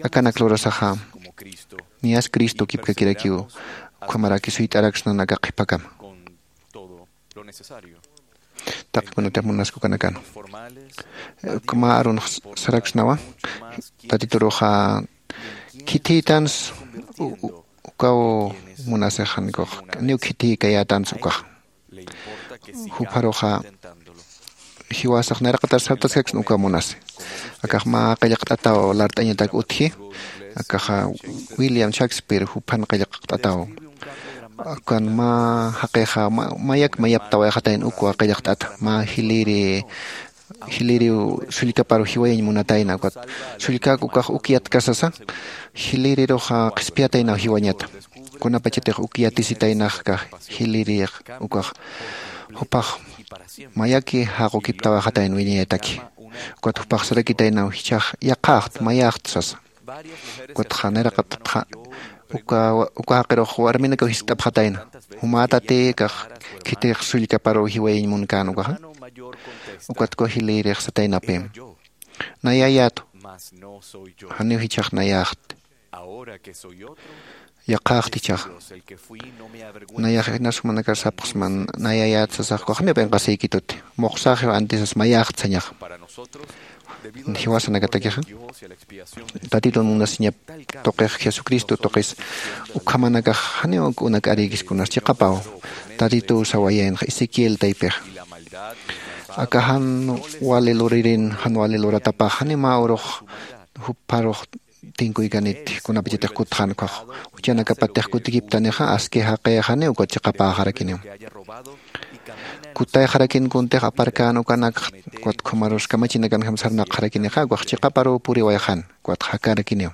Akanak lurasaxa niyas Cristo kipkakirakiw ukhamaraki suyt'araksnan aka qhipakama. Taqi kunatix munaskukanakan. Mä arun saraksnawa tatituruxa khithïtans ukaw munasixankux niw khithïkayätans ukaxa. Jupharuxa jiwasax nayraqatar sartaskaksna ukaw munasi. Akax mä qillqt'ataw lart'añatak utji. Akaxa William Shakespeare juphan qillqt'ataw. Akan mä jaqixa mayak mayaptawayxatayna ukwa qillqt'ata mä jiliri jiliriw sullkaparu jiwayañ munatayna ukat sullkak ukax uk yatkasasa jilirirux qhispiyataynaw jiwañata. Kunapachatix uk yatisitaynaxka jilirix ukax jupax mayaki jaqukiptawayxatayna wiñayataki. Ukat jupax sarakitaynaw jichhax yaqhaxt mayaxt sasa. Ukatxa nayraqatatxa uka uka jaqirux warminakaw jiskt'apxatayna. Jumätati kax khitix sullkaparuw jiwayañ munkän ukaxa. Ukat uka jilïrix sataynapi nayayätu. Janiw jichhax nayäxti. Yaqhaxt jichhaxa. Nayax inas jumanakar sapxsma nayayät sasax ukax janiw p'inqasïkituti. Muxsaxiw antisas mayäxt sañaxa. Jiwasanakatakixa tatitun munasiñap tuqix jesucristo tuqis ukhamanakax janiw uk unak arïkis kunas chiqapaw. Tatituw sawayaynxa ezequiel taypixa aka jan wali luririn jan wali luratapax janiw mä urux jupharux tinkuykaniti kunapachatix kutxän ukhax. Juchanakapatix kutikiptanixa aski jaqïxaniw ukat chiqapäxarakiniw. Kutayxarakin kuntix aparkän ukanakxa ukat ukhamarus kamachinakanjam sarnaqxarakinixa ukax chiqaparuw puriwayxän ukat jakarakiniw.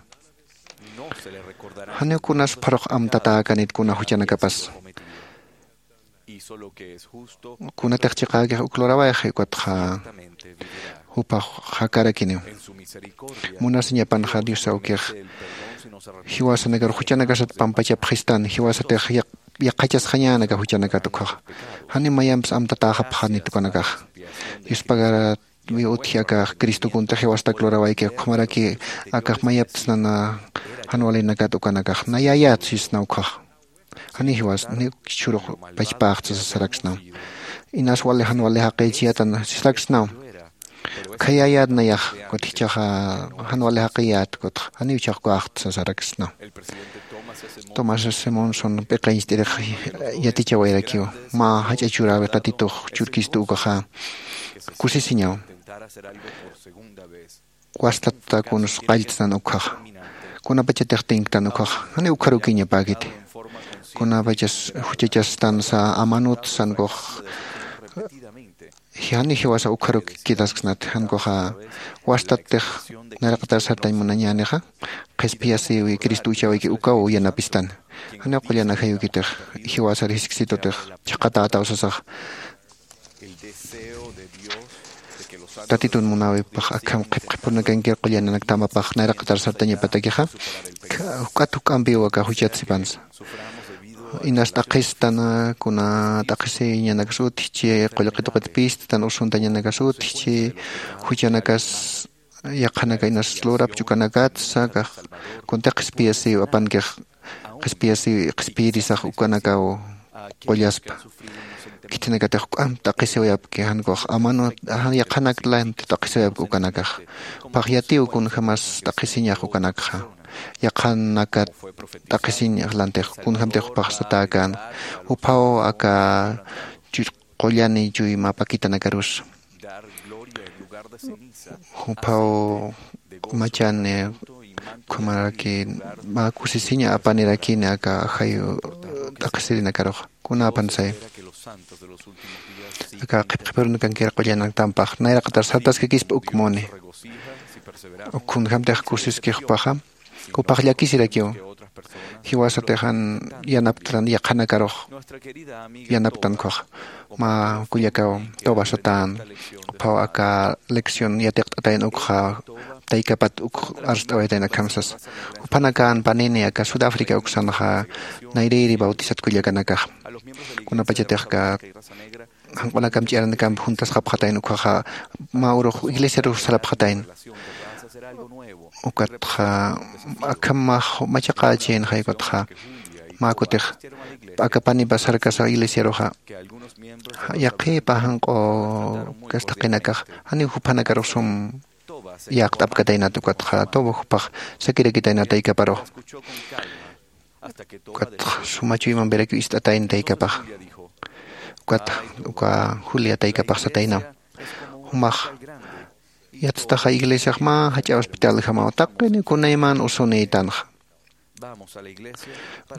Janiw kunas pharux amtatäkanit kuna juchanakapas kunatix chiqäkix uk lurawayxi ukatxa jupax jakarakiniw. Munasiñapanxa dios awkix jiwasanakar juchanakasat pampachapxistan jiwasatix yaqhachasxañänaka juchanakat ukhaxa. Janiw mayampis amtatäxapxanit ukanakaxa. Diospagar utji akax cristo kuntix jiwastak lurawayki ukhamaraki akax mayaptsnana jan walinakat ukanakax nayayät sisna ukhaxa. Janiw jiwas niw chhurux pachpäxtsa sasaraksnaw. Inas wali jan wali jaqïchiyätan sisaraksnaw. Khayayät nayax kutichaxa jan wali jaqiyät kutxa janiw chaqkuaxt sasaraksna. Tomás simonson p'iqañcht'irix yatichawayrakiw mä jach'a churawi tatitux churkistu ukaxa kusisiñaw. Wastata kuns qalltsan ukxaxa kunapachatix tinktan ukxaxa jani ukxarukiñapäkiti. Kunapachas juchachastansa amanutsankux jani jiwasa ukxaruk kidasksnati jankuxa wastatix nayraqatar sartañ munañänixa qhispiyasiwi cristo uchawayki ukaw yanapistani. Janiw qullan ajayukitix jiwasar jisksitutix chhaqatätaw sasaxa tatitun munäwipax akham qhipqhipurnakankir qullananaktampapax nayraqatar sartañapatakixa juk'at juk'ampiw aka juchat sipansa. Inas t'aqhistana kuna t'aqhisiñanakas utjchi qullqi tuqit pisttan usuntañanakasutjchi juchanakas yaqhanaka inas lurapch ukanakatsa kax kunti qhispiyasiw apankix qhispiyasiw qhispiyirisax ukanakaw qullaspa. Khithinakatix juk'amp t'aqhisiwayapki jankux amanu yaqhanak lanti t'aqhisiwayapki ukanakax. Juphax yatiw kunjämas t'aqhisiñax ukanakxa yaqhanakat t'aqhisiñax lantix kunjämtix juphax satäkän juphaw aka qullani chuyma pakitanakarus juphaw machani ukhamaraki mä kusisiña apanirakini aka ajayu t'aqhisirinakaruxa kunäpan saya aka qhipqhipirunakankir qullanaktampax nayraqatar sartaskakispa uk muni uk kunjämtix kusiski jupaxa juphax llakisirakiw jiwasatix jan yanaptan yaqhanakarux yanaptan ukhaxa mä kullakaw tobasatän juphaw aka lección yatiqt'atayn ukxa taykapat uk arst'awayatayn akham sasa. Juphanakän panini aka sudáfrica uksanxa nayrïri bautisat kullakanakaxa kunapachatix aka janq'unakam ch'iranakamp juntasxapxatayna ukhaxa mä urux iglesiarux sarapxatayna. Ukatxa akham mä machaqächïnxay ukatxa mä kutix aka panipa sarkasax iglesiaruxa yaqhipa janq'u kastaqinakax janiw juphanakarux sum yaqt'apkataynat ukatxa tuba jupax sakirakitaynat taykaparux. Ukatxa suma chuymampirakiw ist'atayna taykapax. Ukat uka julia taykapax sataynaw jumax yatstaxa iglesiax mä jach'a hospitaljamaw taqini kunayman usunïtanxa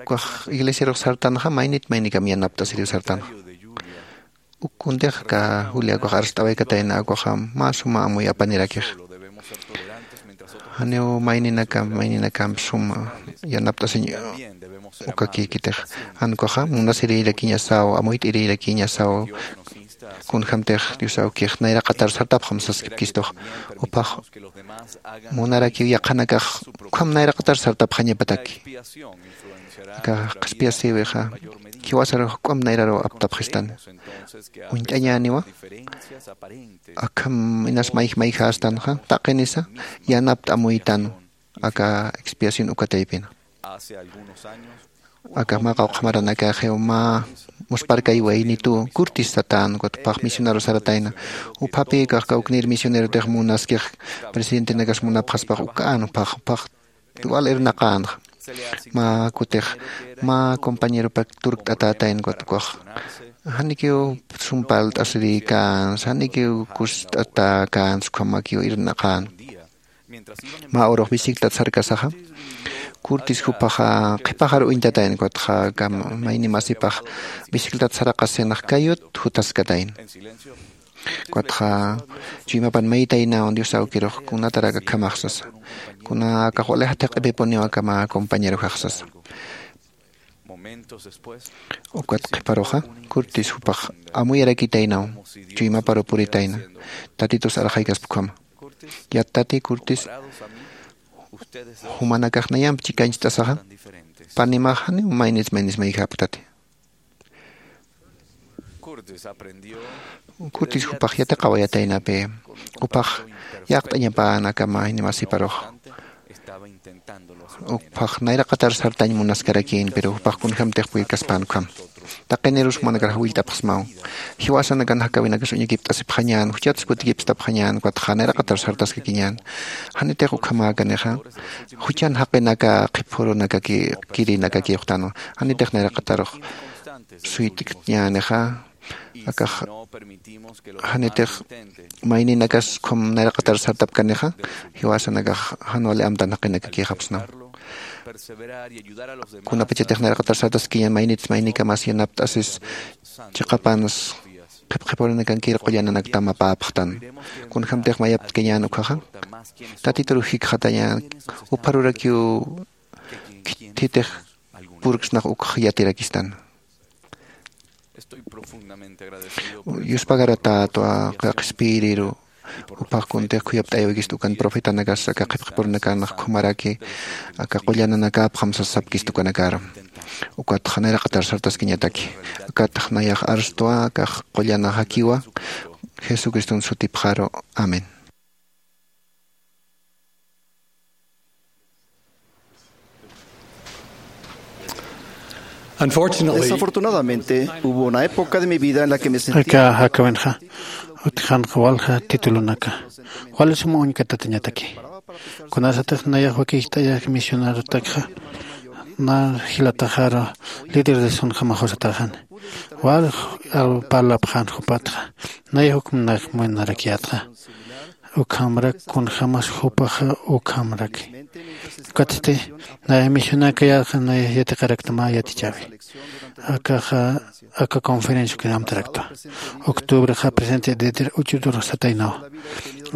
ukax iglesiarux sartanxa maynit maynikam yanapt'asiriw sartanxa. Uk kuntix aka julia ukax arst'awaykatayna ukaxa mä suma amuy apanirakix janiw mayninakam mayninakam suma yanapt'asiñ ukakïkitix jan ukaxa munasirïrakiñasaw amuyt'irïrakiñasaw kunjämtix dios awkix nayraqatar sartapxam saskipkistux. Juphax munarakiw yaqhanakax ukham nayraqatar sartapxañapataki aka qhispiyasïwixa jiwasarux juk'amp nayraruw aptapxistani. Uñt'añäniwa akham inas mayj mayjästanxa taqinisa yanapt'amuytan aka expiación ukataypina. Aka mä qawqha maranakaxiw mä muspharkay waynituw curtis satän ukat juphax misioneru saratayna. Juphapi kax kawknir misionerotix munaskix presidentenakas munapxaspax ukan juphax juphax wal irnaqänxa mä kutix mä compañeropak turkt'atätayna ukat ukax janikiw sum parlt'asirïkänsa janikiw kust'atäkänsa ukhamakiw irnaqän. Mä urux bicicletat sarkasaxa curtis jupaxa qhipaxar uñtatayna ukatxa aka mayni masipax bicicletat saraqasinax kayut jutaskatayna. Ukatxa chuymapan maytaynawan dios awkirux kunatarak akhamax sasa kuna akax wali jathiq'ipipuniw aka mä compañerojax sasa. Ukat qhiparuxa curtis jupax amuyarakitaynaw chuymaparu puritayna tatitus arxaykaspkhama. Yattati curtis jumanakax nayamp chikancht'asaxa panimax janiw maynis maynis mayjapktati. Curtis jupax yatiqawayataynapi jupax yaqt'añapan aka mayni masiparux ukphax nayraqatar sartañ munaskarakïn pero jupax kunjämtix puyrkaspän ukham. Taqinirus jumanakar jawillt'apxsmaw. Jiwasanakan jakawinakas uñakipt'asipxañän, juchatas kutikipstapxañän, ukatxa nayraqatar sartaskakiñän. Janitix ukhamäkanixa juchan jaqinaka qhipürunakaki kirinakaki uxtanwa. Janitix nayraqatarux suyt'kñänixa. Akax janitix mayninakas ukham nayraqatar sartapkanixa, jiwasanakax jan wali amtan jaqinakakïxapxsnaw. Kunapachatix nayraqatar sartaskiñän, maynits maynikamas yanapt'asis chiqapanas qhipqhipurunakankir qullananaktam apäpxtan. Kunjämtix mayaptkañän ukkhaxa, Tatitur jikxatañän, upharurakiw khithitix purksnax ukx yatirakistan. Yuspagaratatätwa, qhispiyiriru, jupax kuntix khuyapt'ayäwikistu ukan profetanakas aka qhipqhipurunakanax ukhamaraki aka qullananakäpxam sasapkistu ukanakar. Ukatxa nayraqatar sartaskiñataki. Akatxa nayax arstwa, akax qullanaxakiwa, Jesucriston sutipxaru. Amén. Desafortunadamente, hubo una época de mi vida en la que me sentía... Aka jakawinxa utjanxa walja titulunaka wali sum uñkatatañataki. Kunasatix nayax wakixt'aya misionerotakxa, na jilataxaru líder de sunjamaxusataxan, wal parlapxan jupatxa, nayax ukmnak munarakiyätxa. Ukhamrak kunjämas jupaxa ukhamraki. Ukatsti nayax misionakayätxa, nayax yatiqarakta mä yatichäwi. Akaxa aka conferencia ukir amtaraktwa. Octubrexa presidente Dieter Uchtdorf sataynawa.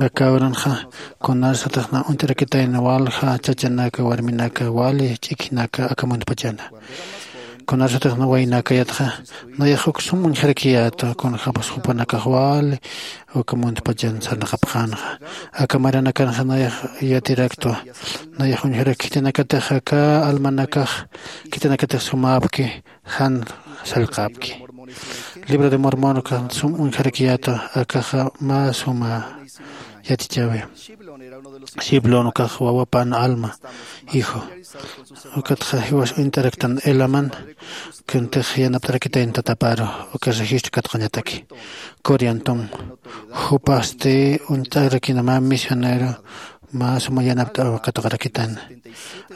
Aka uranxa kunasatix na uñt'arakitayna walja chachanaka, warminaka, wali ch'ikjinaka aka muntpachana. Kunasatix na waynakayätxa, nayax uk sum uñjarakiyätwa, kunjämas jupanakax wali aka muntpachan sarnaqapxänxa. Aka maranakanxa nayax yatiraktwa, nayax uñjarak khitinakatix aka almanakax, khitinakatix sumäpki, jan sallqäpki. Libro de Mormon ukax sum uñjarakiyätwa, akaxa mä suma yatichäwi. Shiblon ukax wawapan Alma hijo. Ukatxa jiwas uñt'araktan Helaman, kuntix yanapt'arakitayna tataparu, uka registro katuqañataki. Coriantum, jupasti uñt'arakina mä misionero, mä suma yanapt'aw katuqarakitan.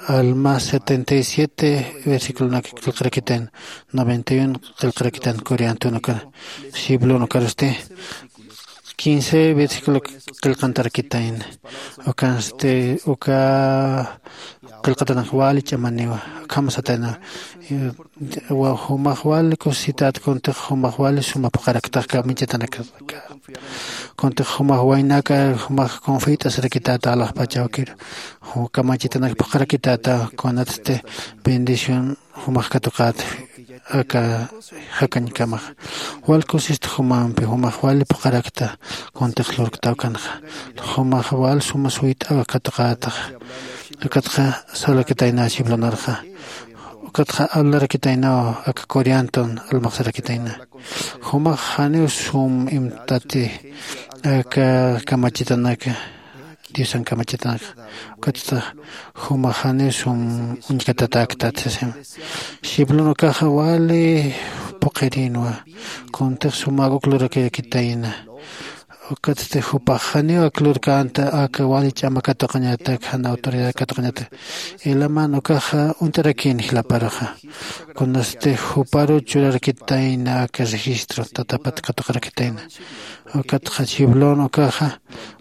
Alma setenta y siete versículonak qillqarakitan, noventa y uno qillqarakitan Coriantum ukar. Shiblon ukarsti quince versículo qillqantarakitayna. Ukansti uka qillqatanak wali ch'amaniwa, ukham satayna, eh, wa-, jumax wali kusisitäta kuntix jumax wali suma phuqharaktax kamachitanakxa. Kuntix jumax waynaka, jumax confiat'asarakitäta alaxpach awkir, ju-, kamachitanak phuqharakitäta, kunatsti bendición jumax katuqät aka jakañkamax. Wal kusist jumampi, jumax wali phuqharakta kuntix lurkta ukanxa. Jumax wal suma suyt'aw katuqätax. Ukatxa salakitayna Shiblonarxa. Ukatxa hablarakitaynaw aka Corianton, Almax sarakitayna. Jumax janiw sum imtati aka kamachitanaka, Diosan kamachitanaka. Ukatxa jumax janiw sum uñkatatäktat sasima. Shiblon ukaxa wali phuqhirinwa, kuntix sumäk uk lurakirakitayna. Ukatsti jupax janiw ak lurkänta aka wali ch'ama katuqañatak, jan autoridad katuqañatak. Helaman ukaxa uñt'arakïn jilaparuxa. Kunasti juparu churarakitayna aka registro, tatapat katuqarakitayna. Ukatxa Shiblon ukaxa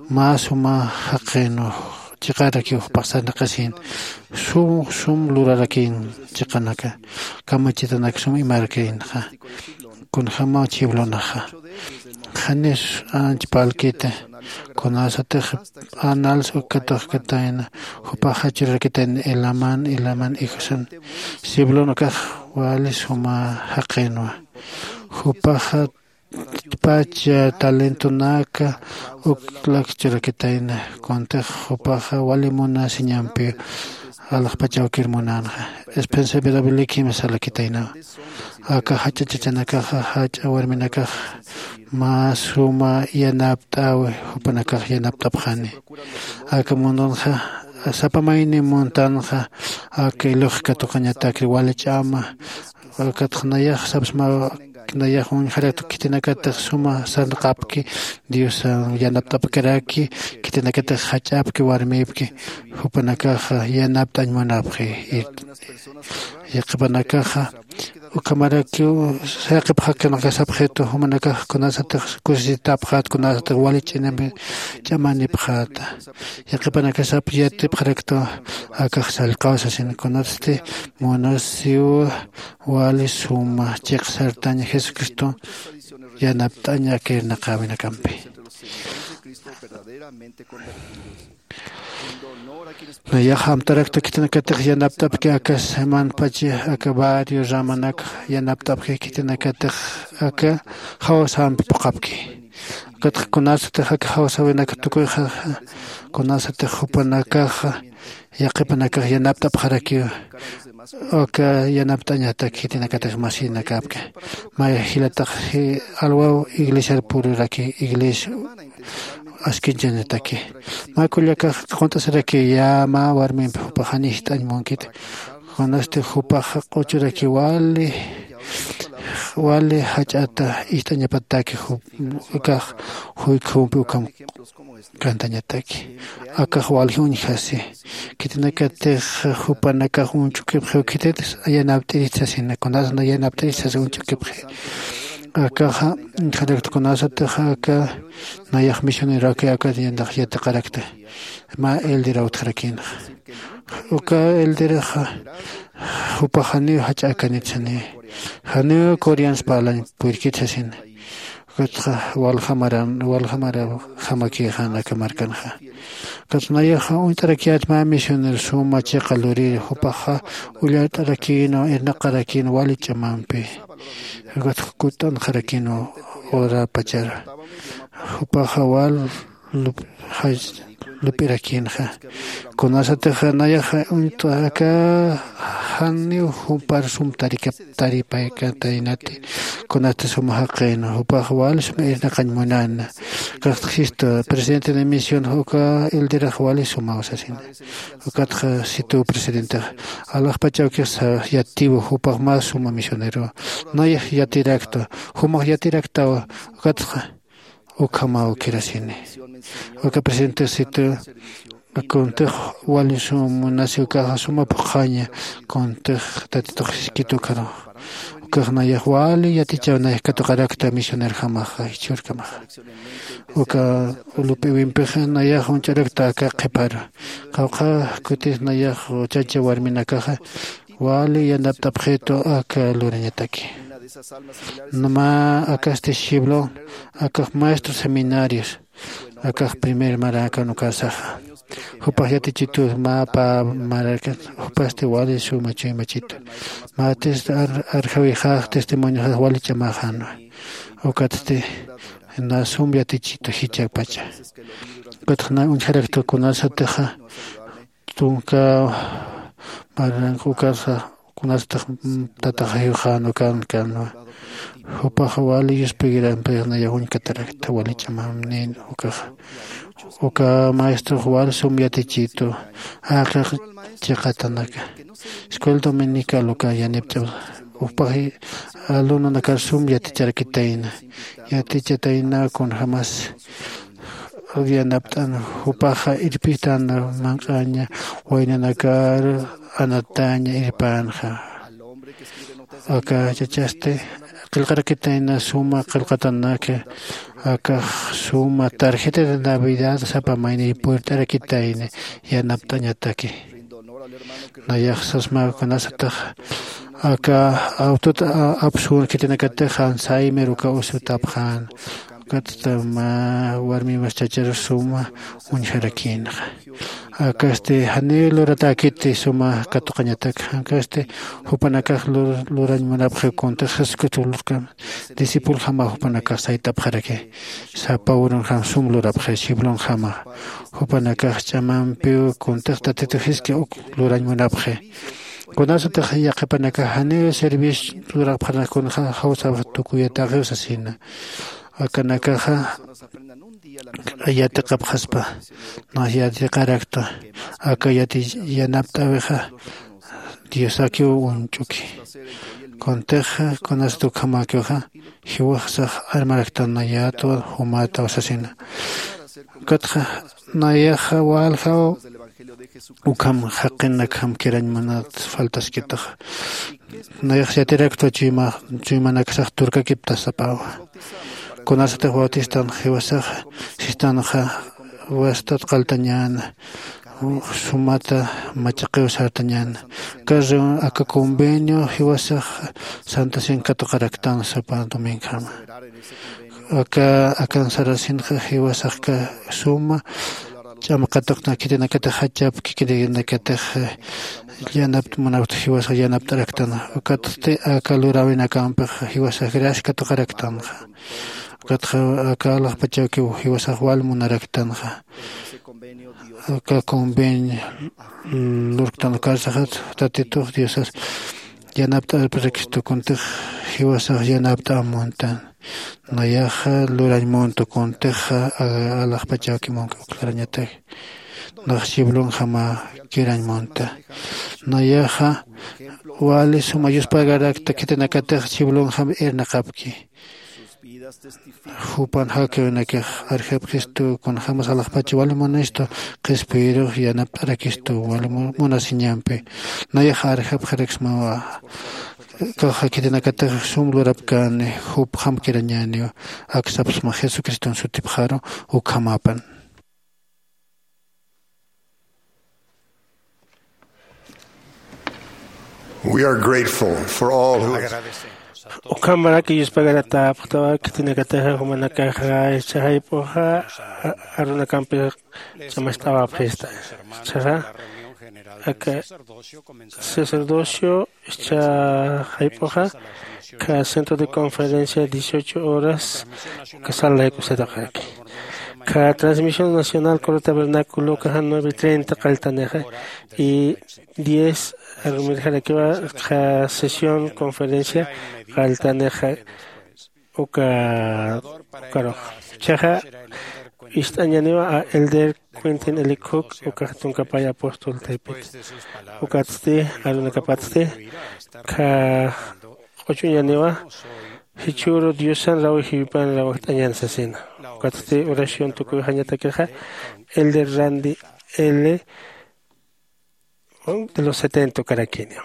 mä suma jaqinwa, chiqarakiw jupax sarnaqasïn. Sum, sum lurarakïn chiqanaka, kamachitanak sum imarakïnxa. Kunjämaw Shiblonaxa. Janis anch parlkiti, kunasatix anals uka katuqkatayna, jupaxa churarakitayna Helaman, Helaman hijosan. Shiblon ukax wali suma jaqinwa. Jupaxa pach talentonaka uklak churakitayna, kuntix jupaxa wali munasiñampi alaxpach awkir munänxa. Spencer W. Kimball salakitaynawa. Aka jach'a chachanakaxa, jach'a warminakaxa mä suma yanapt'äwi, jupanakax yanapt'apxani. Aka mundonxa sapa mayni muntanxa, aka ilux katuqañatakri wali ch'ama Ukatxa nayax sapsma nayax uñjaraktu khitinakatix suma sarnaqapki, Diosan yanapt'apkaraki, khitinakatix jach'apki warmipki, jupanakaxa yanapt'añ munapxi. Yaqhipanakaxa ukhamarakiw sayqipxakanakasapxitu, jumanakax kunasatix kusisitapxät, kunasatix wali ch'inampi ch'amanipxäta. Yaqhipanakasap yatipxaraktu akax sallqaw sasin, kunasti munasiw wali suma chiqsartañ Jesucristo yanapt'añ aka irnaqäwinakampi. Nayax amtarakta khitinakatix yanapt'apki, aka semanpachi aka barrio ramanak yanapt'apki, khitinakatix aka jawsampi phuqhapki. Ukatxa kunasatix aka jawsäwinak tukuyxa, kunasatix jupanakaxa yaqhipanakax yanapt'apxarakiw, aka yanapt'añatak khitinakatix masinakapki. Mä jilatax alwaw iglesiar pururaki, iglesia askinchañataki. Mä kullakax qunt'asiraki, ya mä warmimpi jupax jani jist'añ munkit, kunasti jupax q'uchuraki wali wali jach'ata ist'añapataki, ukax juykjumpi ukham kantañataki. Akax walji uñjasi. Khitinakatix jupanakax uñch'ukipxiw khitit yanapt'irit sasina, kunasna yanapt'irit sasi uñch'ukipxi. Akaxa uñjarakta, kunasatix aka nayax misioneroki akat yandax yatiqarakta, mä elderaw utjarakïnxa. Uka elderaxa jupax janiw jach'akanit sani, janiw coreans parlañ purirkit sasina. Ukatxa waljamaran waljamaraw jamakïxan aka markanxa. Ukatxa nayaxa uñt'arakiyät mä misionero suma chiqa lurir, jupaxa ullart'arakïnwa, irnaqarakïnwa wali ch'amampi. Ukatxa kutt'anxarakïnwa urapachar. Jupaxa wal lup'irakïnxa. Kunasatixa nayaxa uñt'aka janiw jumpar sum taripaykatäynati, kunasti suma jaqïnwa, jupax wal sum irnaqañ munäna. Ukatxa jistu presidente de misión, uka elderax wali sumaw sasina. Ukatxa situw presidentex, alaxpach awkix yatiw, jupax mä suma misionerowa. Nayax yatirakta, jumax yatiraktawa. Ukatxa ukhamaw kirasini. Uka presidentesitu kuntix wali sum munasi, ukaxa suma phuqhaña, kuntix tatitux jiskit ukaru. Ukax nayax wali yatichaw nayax katuqarakta misionerjamaxa jichhürkamaxa. Uka lup'iwimpixa nayax uñch'arakta aka qhiparu. Qawqha kutis nayax chacha warminakaxa wali yanapt'apxitu aka lurañataki. Mä akasti shiblon, akax maestro seminarios, akax primer marakan ukasaxa. Jupax yatichitu mä pä marakan, jupasti wali suma chuymachitu. Mä test arjawixax testimonioxax wali ch'amaxänwa. Ukatsti na sum yatichitu jichhakpacha. Ukatxa na uñjarakta kunasatixa tunka maranx ukasa kunasatix tataxayuxän ukan kanwa. Jupax wali yuspigirampix nayax uñkatarakta wali ch'amamnin ukaxa. Uka maestrox wal sum yatichitu jaqix chiqatanaka. Escuela dominical uka yanipch'aw. Jupax alumnonakar sum yaticharakitayna. Yatichatayna kunjamas yanapt'an, jupaxa irpitan manq'aña, waynanakar anataña irpänxa. Aka chachasti qillqarakitayna suma qillqatanaka, akax suma tarjeta de Navidad sapa mayniy purt'arakitayna yanapt'añataki. Nayax sasma kunasatix aka awtut apsun khitinakatix Alzheimer uka usutapxän. Ukatsta mä warmimas chachar suma uñjarakïnxa. Akasti janiw luratäkiti suma katuqañatak, akasti jupanakax lurañ munapxi kuntix Jesucristo lurkam discipuljamaw jupanakax sayt'apxaraki. Sapa urunjam sum lurapxi shiblonjama. Jupanakax ch'amampiw kuntix Tatitu jisk'a uk lurañ munapxi. Kunasatix yaqhipanakax janiw servicio lurapxanak kunxa jawsaw tukuyatäxiw sasina. Akanakaxa yatiqapxaspa, nax yatiqarakta aka yati yanapt'äwixa Diosakiw uñch'uki. Kuntix kunasat ukhamäkixa jiwasax armaraktan nayätwa jumataw sasina. Ukatxa nayaxa waljaw ukham jaqinakjam kirañ munat faltaskitaxa. Nayax yatiraktwa chuyma chuymanaksax turkakiptasapäwa. Kunasatix bautistan jiwasaxa sistanxa wastat qalltañäna, sumata machaqiw sartañäna. Aka reun aka convenio jiwasax santa cien katuqaraktan sapa domingonjama. Aka akan sarasinxa jiwasaxka suma ch'amaqatuqna khitinakatix jachapki khitinakatix yanapta munapta jiwasax yanapt'araktan. Ukatsti aka luräwinakampix jiwasax gracia katuqaraktanxa. Ukatxa aka alaxpachawkiw jiwasax wal munaraktanxa. Aka convenio lurktan ukarsaxat tatitux diosas yanapt'arparakistu kuntix jiwasax yanapt'amuntan. Nayaxa lurañ muntu kuntixa alaxpachawki munki uklarañataki. Nax chiblunjama kirañ munta. Nayaxa wali suma yuspagarakta khitinakatix chiblunjam irnaqapki. Jupan jakiwinakix arjapxistu kunjämas alaxpacha wali munistu qhispiyirux yanapt'arakistu wali munasiñampi. Nayaxa arjapxaraksmawa. Kaxa khitinakatix sum lurapkäni jupxam kirañäniw. Aksapxsma jesucriston sutipxaru. Ukhamapan. We are grateful for all who have Ukhamarak yuspagaratäpxtawa khitinakataxa jumanakaxa ischha jayp'uxa arunakampix ch'amacht'awapxista. Ischhaxa aka sacerdocio ischha jayp'uxa ka centro de conferencia dieciocho horas ka sala laykusataqaki. Ka transmisión nacional coro tabernaculo kaxa nueve treinta qalltanixa y diez arumirjarakiwa ka sesión conferencia qalltanixa. Uka ukarux chaxa ist'añaniwa a elder quintin elikuk ukax tunkapay apóstol taypit. Ukatsti arunakapatsti ka q'uchuñaniwa jichhüru diosan rawi jiwipan rawajt'añan sasina. Ukatsti oración tukuyxañatakixa elder randi l de los setenta ukarakiniw.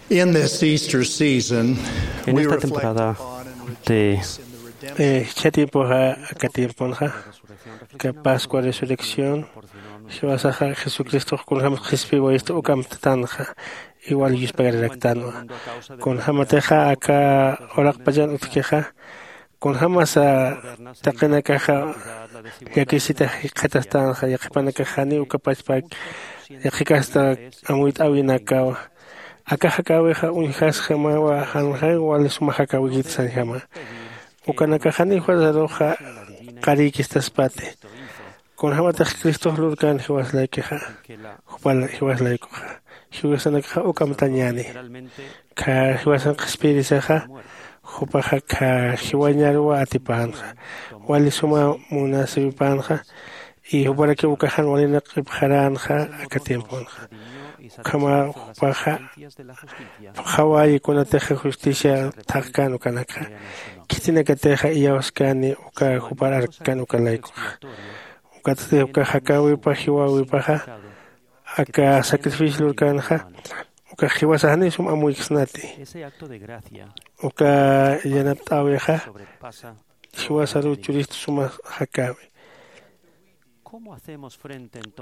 In this Easter season, en esta temporada de ichha tiempoxa aka tiemponxa ka pascua resurrección jiwasaxa jesucristox kunjämas qhispiwayista ukamtatanxa. Igual yuspagararaktanwa kunjämatixa aka uraqpachan utjkixa kunjämasa taqinakaxa llakisita jikxatastanxa yaqhipanakax janiw uka pachpak yaqhikasta amuyt'äwinakawa. Aka jakäwixa uñjasjamawa janxay wali suma jakäwikit sañjama. Ukanakax janiw fuerzaruxa qarïkistaspati. Kunjämatix cristox lurkän jiwaslaikixa jupal jiwaslaykuxa jiwasanakxa ukamtañäni. Kha jiwasan qhispiyirisaxa jupaxa kha jiwañaruwa atipänxa wali suma munasiwipänxa. Y juparakiw ukaxan walinak q'ipxaränxa aka tiemponxa. Ukhama jupaxa phuqhawayi kunatixa justicia thaqkän ukanakxa khitinakatixa iyawskani uka jupar arkkan uka laykuxa. Ukatsti uka jakäwipa jiwäwipaxa aka sacrificio lurkänxa ukax jiwasax janiw sum amuyksnati. Uka yanapt'äwixa jiwasaruw churistu suma jakäwi.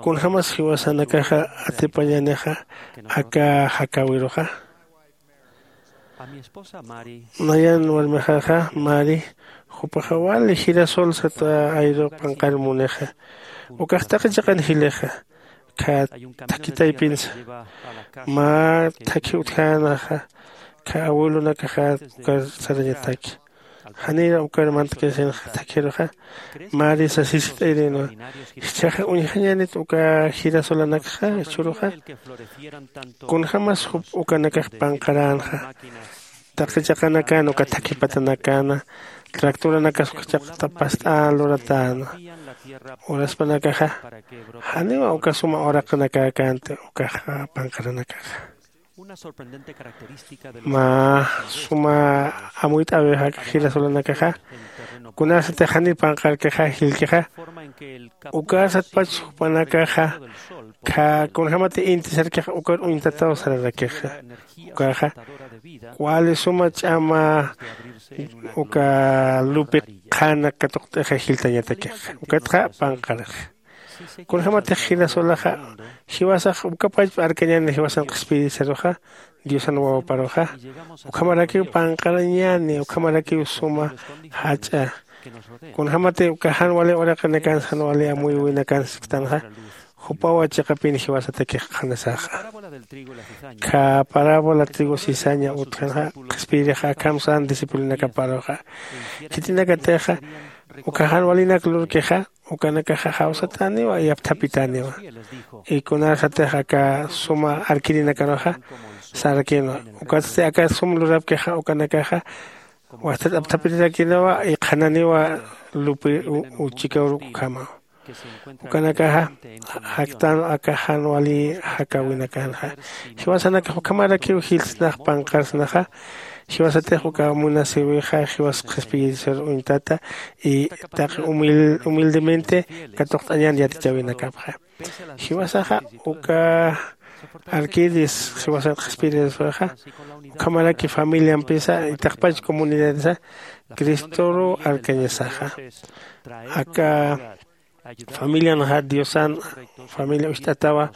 Kunjämas jiwasanakaxa atipañänixa aka jakäwiruxa? Nayan warmixaxa mari jupaxa wali girasol sata ayruq p'anqar munixa. Ukax taqi chiqan jilixa kha thakhi taypinsa mä thakhi utjänaxa kha abuelonakaxa ukar sarañataki. Janïra ukar mantakisinxa thakhiruxa mari sasisit'ayirinwa. Jichhaxa uñjañänit uka girasolanakxa jichhüruxa? Kunjämas jup ukanakax panqaränxa taqi chiqanakan uka thakhi patanakana tractoranakas uka chiqtapast'an luratäna. Uraspanakaxa janiwa uka suma uraqanakäkänti ukaxa panqaranakaxa. Mä suma amuyt'äwix aka jirasolanakaxa kunasatix janiw panqarkixa jilkixa. Ukasatpach jupanakaxa kunjämati inti sarkixa ukar uñtataw sararakixa. Ukaxa wali suma ch'ama uka lupi qhana katuqt'ixa jiltañatakixa ukatxa panqarixa. Kunjämatix jinasulaxa jiwasax ukapachpa arkañäni jiwasan qhispiyirisaruxa diosan wawaparuxa. Ukhamarakiw panqarañäni ukhamarakiw suma jach'a. Kunjämati uka jan wali uraqinakansa jan wali amuyuwinakansa sisktanxa jupawa chiqapin jiwasatakix qhanasaxa. Kha parábola trigo cizaña utjanxa qhispiyirixa akham sän discipulonakaparuxa khitinakatixa uka jan walinak lurkixa ukanakaxa jawsatäniwa yapthapitäniwa. Y kunasatix aka suma arkirinakaruxa sarakïnwa ukatsti aka sum lurapkixa ukanakaxa wajtat apthapirirakïnawa y qhananiwa lupi uchikawruk ukhamaw. Ukanakaxa jaktän aka jan wali jakawinakanxa jiwasanakax ukhamarakiw jilsnax panqarsnaxa. Jiwasatix uka munasïwixa jiwas qhispiyirisar uñtata y taqi humildemente katuqt'añän yatichäwinakapxa. Jiwasaxa uka arkiris jiwasat qhispiyirisarxa ukhamaraki familiampisa itaqpach comunidadisa cristoru arkañasaxa. Aka familianxa diosan familia ucht'atawa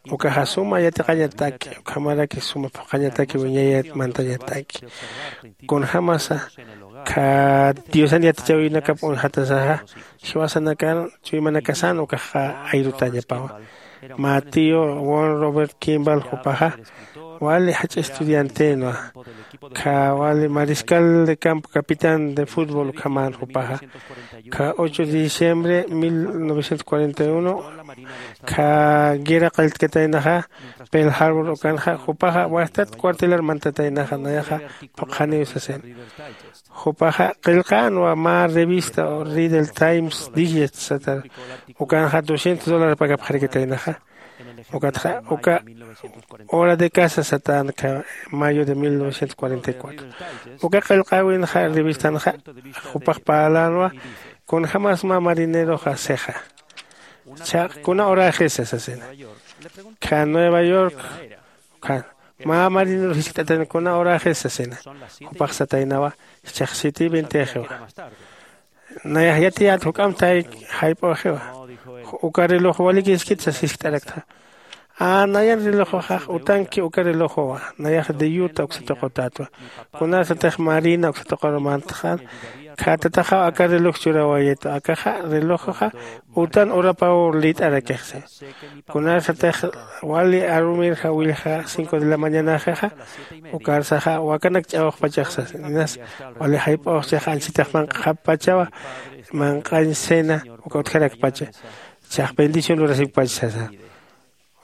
ukaxa suma yatiqañataki ukhamaraki suma phuqhañataki wiñayat mantañataki. Kunjämasa kha diosan yatichäwinakap uñjatasaxa jiwasanakan chuymanakasan ukaxa ayrutañapawa. Mä tío won robert kimball jupaxa wali jach'a estudiantenwa. Kha wali mariscal de campo capitán de futbol ukhamän jupaxa. Kha ocho de diciembre mil novecientos cuarenta y uno kha guerra qalltkataynaxa pel harbor ukanxa jupaxa wajtat cuartelar mantataynaxa nayaxa phuqhaniw sasina. Jupaxa qillqänwa mä revista o ridel times digest satar ukanxa doscientos dólares pagapxarikataynaxa. Ukatxa uka hora de casa satänakha mayo de mil novecientos cuarenta y cuatro. Uka qillqäwinxa revistanxa jupax parlänwa kunjämas mä marineroxa sixa. Chhaq kuna horaxisa sasina. Kha nueva york khan mä marinero jiskt'atayna kuna horaxisa sasina. Jupax sataynawa jichhax siete y veintixiwa. Nayax yatiyät juk'amp tayki jayp'üxiwa. Uka reloj walikiskit sas jiskt'araktxa. Nayan relojoxax utanki uka relojowa. Nayax de yuta uksatuqutätwa. Kunasatix marina uksatuqaru mantxan. Khatataxaw aka reloj churawayitwa akaxa relojoxa utan urapaw lït'arakixsi. Kunasatix wali arumirja willja cinco de la mañanaxixa ukarsaxa wakanak ch'awxpachaxsas inas wali jayp'awxchix anchitix manq'xappachawa. Manq'añ cena uka utjarakpacha. Chax bendición lurasipkpach sasa.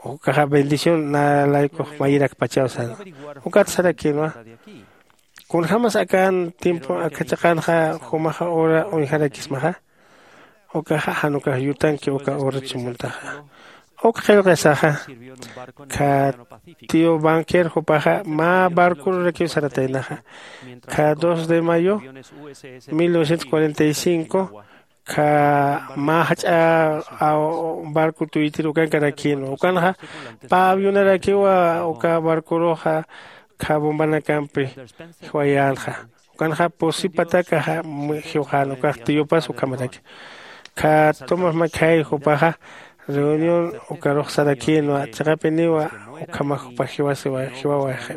Ukaxa bendición na laykux mayirakpachaw sana. Ukat sarakïnwa. Kunjämas akan tiempo aka chiqanxa jumaxa hora uñjarakismaxa. Ukaxa jan ukax yutanki uka urut sumuntaxa. Uk qillqisaxa kha tío banquer jupaxa mä barcururakiw sarataynaxa. Kha dos de mayo mil novecientos cuarenta y cinco kha mä jach'a barco tuytir ukankarakïnwa ukanxa pä avionarakiwa uka barcuruxa kha bombanakampi jiwayänxa. Ukanxa pusipatakaxa jiwxän ukax tiyupas ukhamaraki. Kha tomás makhay jupaxa reunión ukarux sarakïnwa chiqapiniwa ukhamax jupax jiwasiwa jiwawaxi.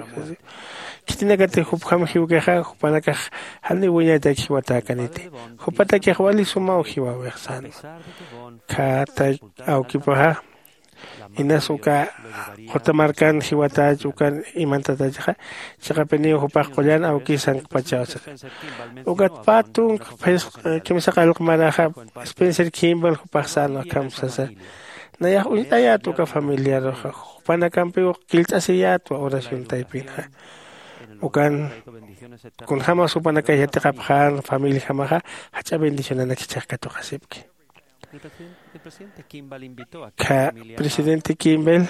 Khitinakatix jupjam jiwkixa jupanakax janiw wiñaytaki jiwatäkaniti. Jupatakix wali sumaw jiwawix sänwa. Khata awkipaxa inas uka qutamarkan jiwatach ukan imantatachxa. Chiqapiniw jupax qullan awkis sankpachaw sasa. Ukat pä tunka phisqa kimsa qallqmaraxa spencer kimball jupax sänwa akham sasa. Nayax uñt'ayät uka familiaruxa jupanakampiw qillt'asiyätwa oración taypinxa. Ukan kunjämas jupanakax yatiqapxän familiajamaxa jach'a bendicionanak jichhax katuqasipki. Kha presidente Kimbel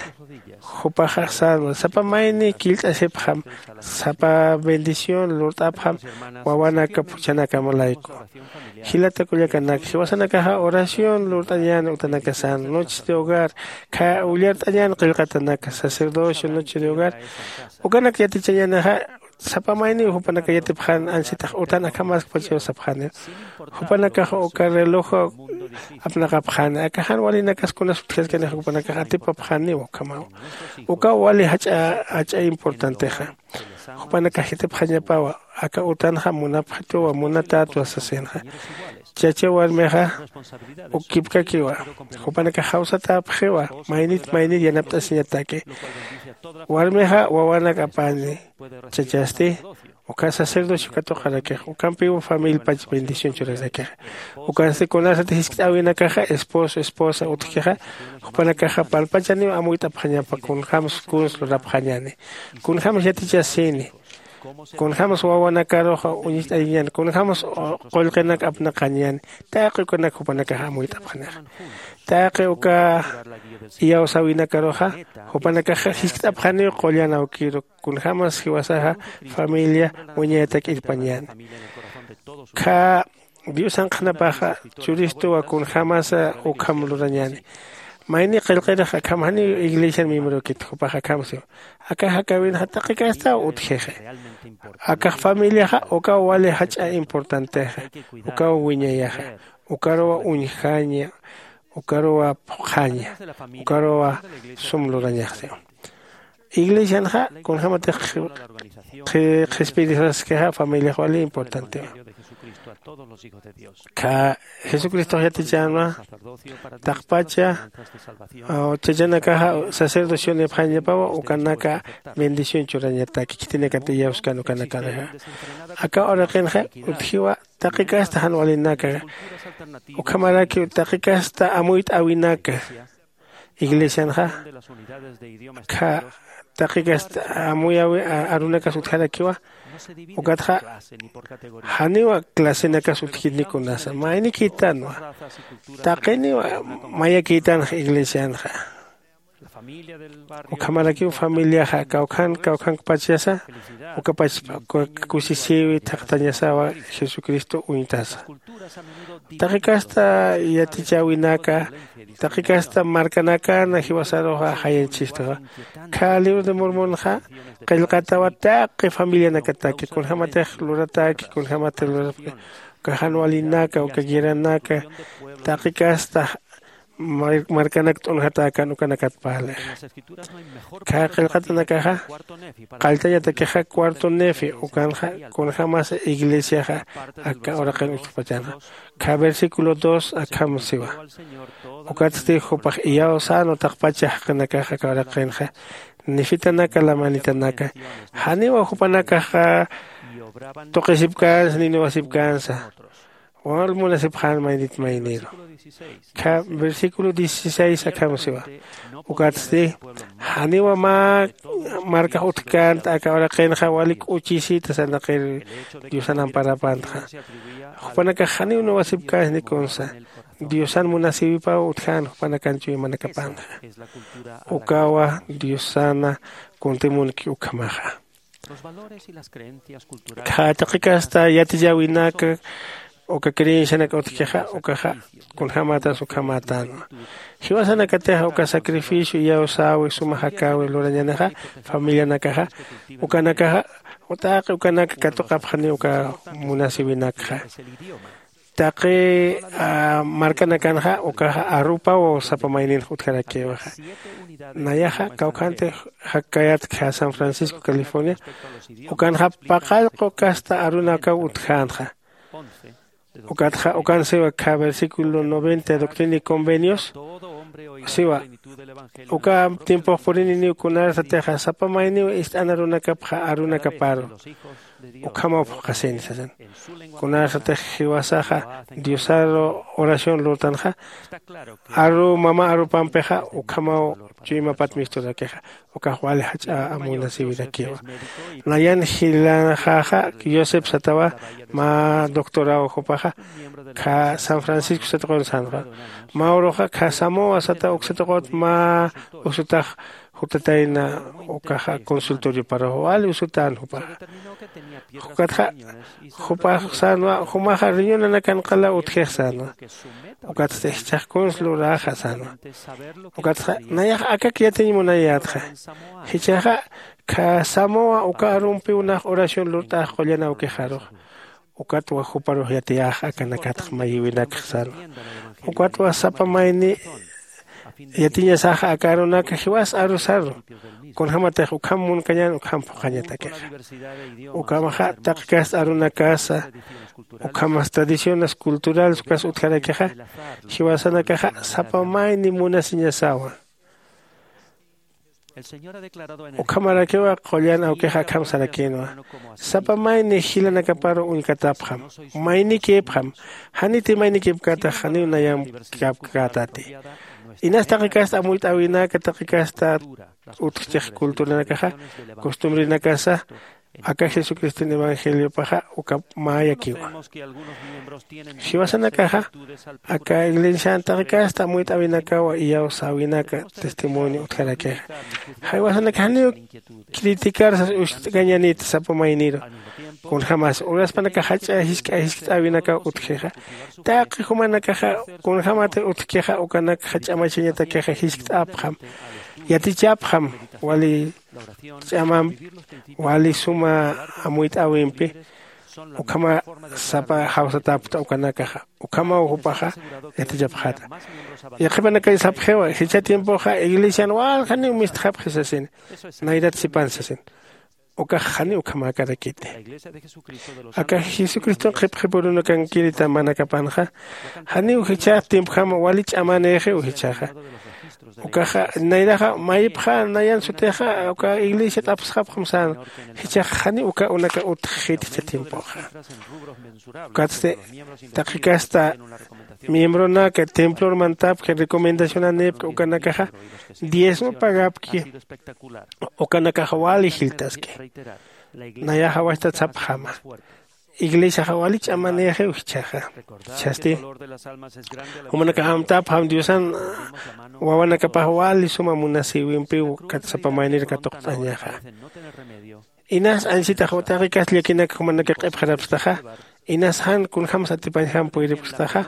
jupaxa sänwa sapa mayni killt'asipxam, sapa bendición lurt'apxam wawanaka phuchhanakam layku. Jilata kullakanak, jiwasanakaxa oración lurt'añäni utanakasan, noches de hogar, kha ullart'añäni qillqatanaka, sacerdocio, noche de hogar, ukanak yatichañänixa. Sapa mayniw jupanaka yatipxän ansitax utan akhamaskpachaw sapxäniw. Jupanakax uka reloj apnaqapxäni, aka jan walinakas kunas utjaskanixa jupanakax atipapxäniw ukhamaw. Ukaw wali jach'a jach'a importantexa. Jupanakax yatipxañapawa, aka utanxa munapxituwa munatätwa sasinxa. Chacha warmixa ukipkakiwa. Jupanakax jawsatäpxiwa, maynit maynit yanapt'asiñataki. Warmixa wawanak apäni. Chachasti uka sacerdocio katuqarakix, ukampiw familiapach bendición churarakixa. Ukansti kunasati jiskt'äwinakaxa esposo esposa utjkixa, jupanakaxa palpachaniw amuyt'apxañapa kunjämsa kuns lurapxañäni, kunjämsa yatichasini, kunjämsa wawanakaruxa uñist'ayañäni, kunjämsa qullqinak apnaqañäni. Taqi ukanak jupanakaxa amuyt'apxanixa. Taqi uka iyawsäwinakaruxa jupanakaxa jiskt'apxaniw qullan awkiru, kunjämas jiwasaxa familia wiñayatak irpañäni. Kha diosan qhanapaxa churistuwa kunjämasa ukham lurañäni. Mayni qillqirix akham janiw iglesian miembrorakit jupax akham siwa. Akax jakäwinxa taqi castaw utjixi. Akax familiaxa ukaw wali jach'a importantexa. Ukaw wiñayaxa, ukaruwa uñjaña, ukaruwa phuqhaña, ukaruwa sum lurañaxsiwa. Iglesianxa kunjämatix qhispirisaskixa familiax wali importantewa. Kha jesucristox yatichänwa taqpacha chachanakaxa sacerdocionipxañapawa ukanaka bendición churañataki khitinakat iyawskan ukanakarixa. Aka uraqinxa utjiwa taqi casta jan walinaka, ukhamarakiw taqi casta amuyt'äwinaka. Iglesianxa kha taqi casta amuyäwi arunakas utjarakiwa. Ukatxa janiwa clasenakas utjkitni kunasa maynikïtanwa. Taqiniwa mayakïtanxa iglesianxa. Ukhamarakiw familiaxa kawkhan kawkhankpachasa ukapachpa kusisïwi thaqtañasawa. Jesucristo uñtasa taqi casta yatichäwinaka, taqi casta markanakana jiwasaruxa jayañchistuxa. Kha libro de mormonxa qillqatawa taqi familianakataki kunjämatix luratäki kunjämatix lurapki. Uka jan walinaka uka guerranaka taqi casta markanak t'unjatäkän ukanakat parlixa. Kha qillqatanakaxa qalltañatakixa cuarto nefi ukanxa kunjämasa iglesiaxa aka uraqin utjpachanxa. Kha versículo dos akham siwa. Ukatsti jupax iyawsänwa taqpacha jaqinakaxa aka uraqinxa nefitanaka lamanitanaka. Janiwa jupanakaxa tuqisipkänsa ni nuwasipkänsa. Wal munasipxän maynit mayniru. Kha versículo dieciséis akham siwa. Ukatsti janiwa mä markax utjkänta aka uraqinxa wali k'uchisita sarnaqir diosan amparapänxa. Jupanakax janiw nuwasipkänsa ni kunsa diosan munasïwipaw utjän jupanakan chuymanakapanxa. Ukawa diosana kuntimunki ukhamaxa. Kha taqi casta yatiyäwinaka uka creencianak utjkixa ukaxa kunjämatas ukhamätänwa. Jiwasanakatixa uka sacrificio iyawsäwi suma jakäwi lurañänixa familianakaxa ukanakaxa taqi ukanaka katuqapxaniw uka munasïwinakxa. Taqi markanakanxa ukaxa arupaw sapa mayninx utjarakïwixa. Nayaxa kawkhantix jakkayätki san francisco california. Ukanxa paqallqu casta arunakaw utjänxa. Ukatxa ukan siwa kha versículo noventa doctrina y convenios siwa. Uka tiempox purininiw kunarasatixa sapa mayniw ist'an arunakapxa arunakaparu ukhamaw phuqhasini sasin. Kunasatix jiwasaxa diosaru oración lurtanxa aru mama arupampixa ukhamaw chuymapat misturakixa. Ukax wali jach'a amunasiwirakiwa. Nayan jilanxaxa josep satawa mä doctoraw jupaxa kha san francisco satuqun sanxa. Mä uruxa kha samoa sata uksatuqut mä usutax jutatayna ukaxa consultorioparux wali usutän jupaxa. Jukatxa jupax sänwa jumaxa riñunanakan qala utjix sänwa. Ukatsti jichhax kuns luräxa sänwa. Ukatxa nayax akak yatiñ munayätxa. Jichhaxa kha samoa uka arumpiw nax oración lurt'ax qullan awkixarux. Ukatwa juparux yatiyäx akanakatx mayïwinakx sänwa. Ukatwa sapa mayni yatiñasaxa aka arunaka jiwas arusaru. Kunjämatix ukham munkañän ukham phuqhañatakixa. Ukhamaxa taqi kasta arunakasa ukhamas tradiciones culturales ukas utjarakixa jiwasanakaxa sapa mayni munasiñasawa. Ukhamarakiwa qullan awkixa akham sarakïnwa. Sapa mayni jilanakaparu uñkatapxam. Maynikïpxam. Janiti maynikïpkätax janiw nayamkapkätati. Inas taqi kasta amuyt'äwinaka taqi kasta utjchix culturanakaxa costumbrenakasa aka jesucriston evangeliopaxa uka mäyakiwa. Jiwasanakaxa aka iglesian taqi kasta amuyt'äwinakaw iyawsäwinaka testimonio utjarakixa. Jiwasanakax janiw criticar sas ucht'kañanit sapa mayniru. Kunjämas uraspanakax jach'a jisk'a jiskt'äwinakaw utjixa. Taqi jumanakaxa kunjämat utjkixa ukanakxa ch'amachañatakixa jiskt'apxam. Yatichapxam wali ch'amampi wali suma amuyt'äwimpi. Ukhama sapa jawsatapkta ukanakaxa. Ukhamaw jupaxa yatichapxäta. Yaqhipanakay sapxiwa jichha tiempoxa iglesian waljaniw mistxapxi sasina. Nayrat sipan sasina. Ukax janiw ukhamäkarakiti. Aka jesucriston qhipqhipurunakankirita manakapanxa janiw jichha tiempjama wali ch'amanïxiw jichhaxa. Ukaxa nayraxa mayipxa nayan sutixa uka iglesia t'apsxapxam sän. Jichhax janiw uka unaka utjxit jichha tiempoxa. Ukatsti taqi kasta miembronaka templor mantapki recomendacionanïpki ukanakaxa diezmo pagapki. Ukanakaxa wali jiltaski. Nayaxa wachtat sapxama. Iglesiaxa wali ch'amanïxiw jichhaxa. Jichhasti jumanakax amtapxam diosan wawanakapax wali suma munasïwimpiw kat sapa maynir katuqt'añaxa. Inas ansitax taqi kasta llakinak jumanaka q'ipxarapstaxa. Inas jan kunjämsa atipañjam puyripxstaxa.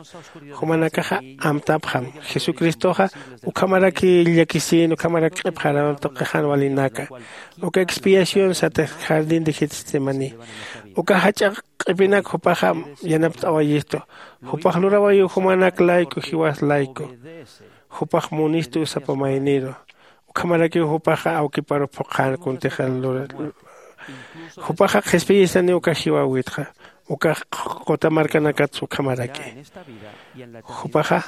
Jumanakaxa amtapxam jesucristoxa ukhamaraki llakisïn ukhamarak q'ipxaram tuqi jan walinaka. Uka expiación satix jardín de getsemani. Uka jach'a q'ipinak jupaxa yanapt'awayistu. Jupax lurawayiw jumanak layku jiwas layku. Jupax munistu sapa mayniru. Ukhamarakiw jupaxa awkiparu phuqhan kuntix lura. Jupaxa qhispiyistani uka jiwäwitxa. Ukax quta markanakatsa ukhamaraki. Jupaxa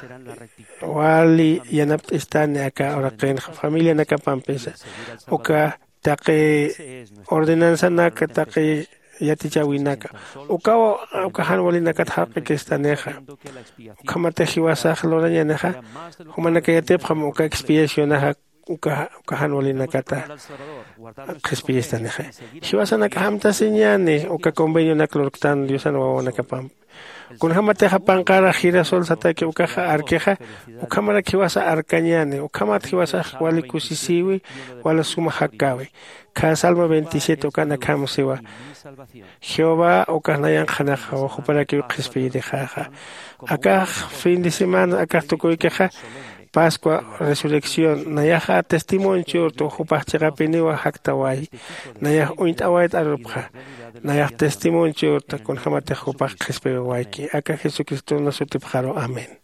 wali yanapt'istani aka uraqinxa familianakapampisa. Uka taqi ordenanzanaka taqi yatichäwinaka. Ukaw uka jan walinakat jarq'ikistanixa. Ukhamatix jiwasax lurañanixa. Jumanaka yatipxam uka expiacionaxa uka jan walinakata qhispiyistanixa. Jiwasanakax amtasiñani uka convenionak lurktan diosan wawanakapampi. Kunjämatixa panqarax girasol sataki ukaxa arkixa. Ukhamarak jiwasa arkañani ukhamat jiwasax wali kusisïwi wala suma jakkäwi. Khä salmo veintisiete ukan akham siwa. Jehová ukax nayanqhanaxaw juparakiw qhispiyirixäxa. Akax fin de semana akax tukuykixa pascua resurrección nayaxa testimonio churtu jupax chiqapiniwa jaktawayi. Nayax uñt'awayt arupxa. Nayax testimonio churta kunjämatix jupax qhispiwawayki aka jesucristona sutipxaru amén.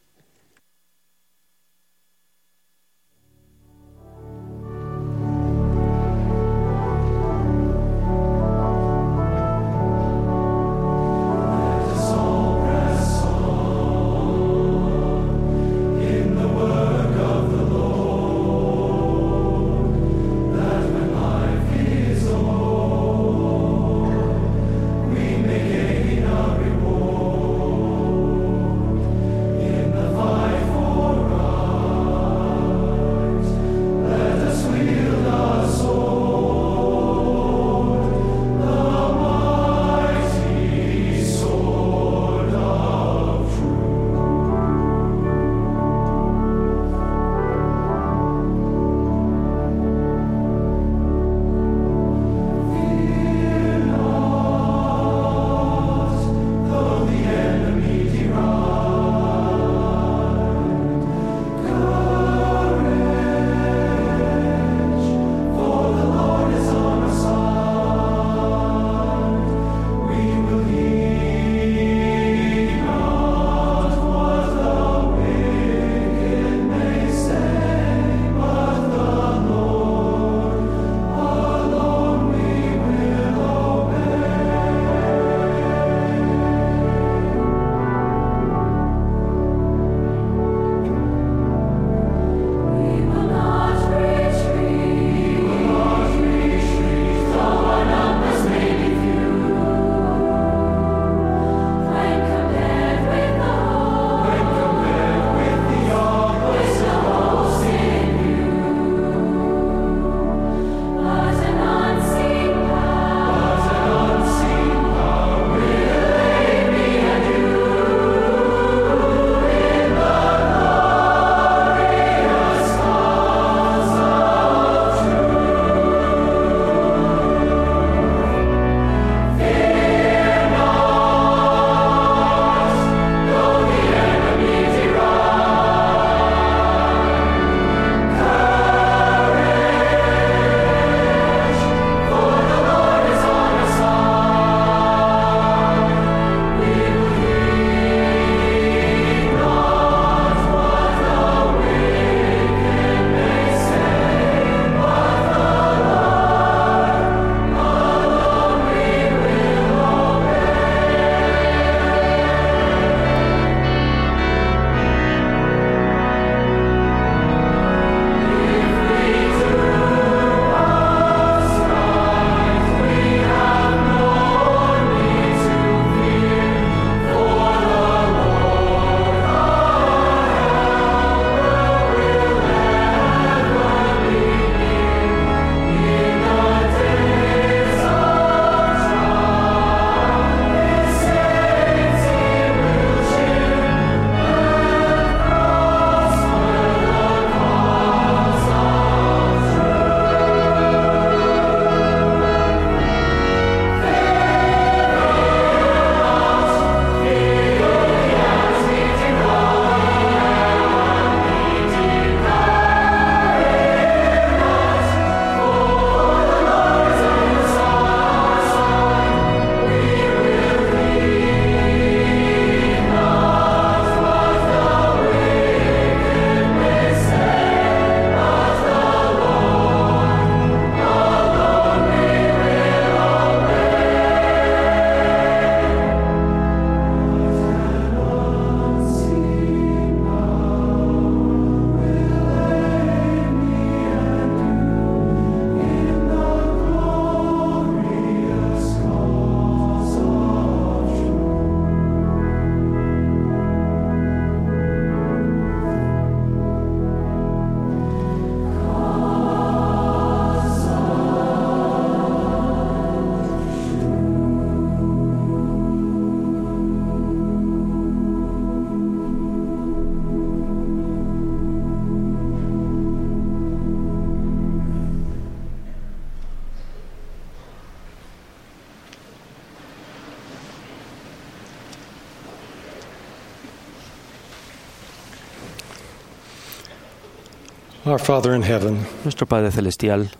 Our Father in heaven, Nuestro Padre Celestial,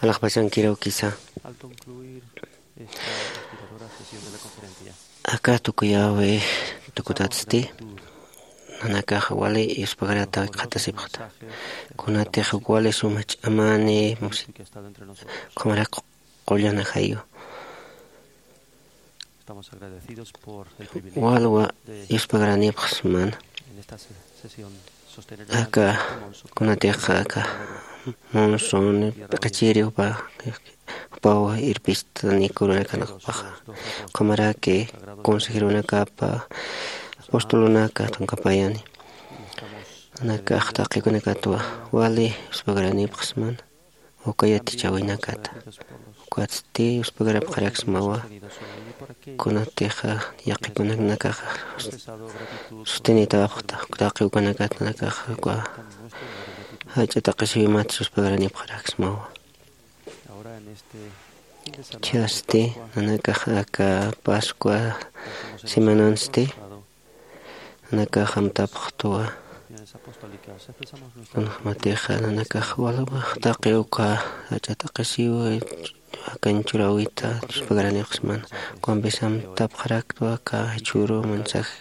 alaxpachankiraw kisa, al concluir esta inspiradora sesión de la conferencia, aka tukuyawi tukutatsti, nanakax wali yuspagarata qhatasipxta. Kunatix wali suma ch'amani musi, que ha estado entre nosotros, qhumarak qullana jayu. Estamos agradecidos por el privilegio, walwa, de, yuspagaranipxsmana, en esta se-, sesión, sostener, aka, kunatixa aka Monson p'iqachiri jupa, jupaw irpistani kurunakanapaxa, qhumaraki consejeronakapa, apostolonaka tunkapayani. Nakax taqikunakatwa wali yuspagaranipxsmana. Uka yatichäwinakata. Ukatsti yuspagarapxaraksmawa. Kunatixa yaqipunaknakaxa sustenitawapxta. Taqi ukanakat nakaxa uka jach'a taqisiwimat yuspagaranipxaraksmawa. Chhasti nanakax aka Pascua semanansti nanakax amtapxtuwa. Kunjamatixa nanakax walwax taqi uka jach'a taqisiw akan churäwita yuspagaranipxsmana. Ukampis amtapxaraktwa aka jichhüru mensaje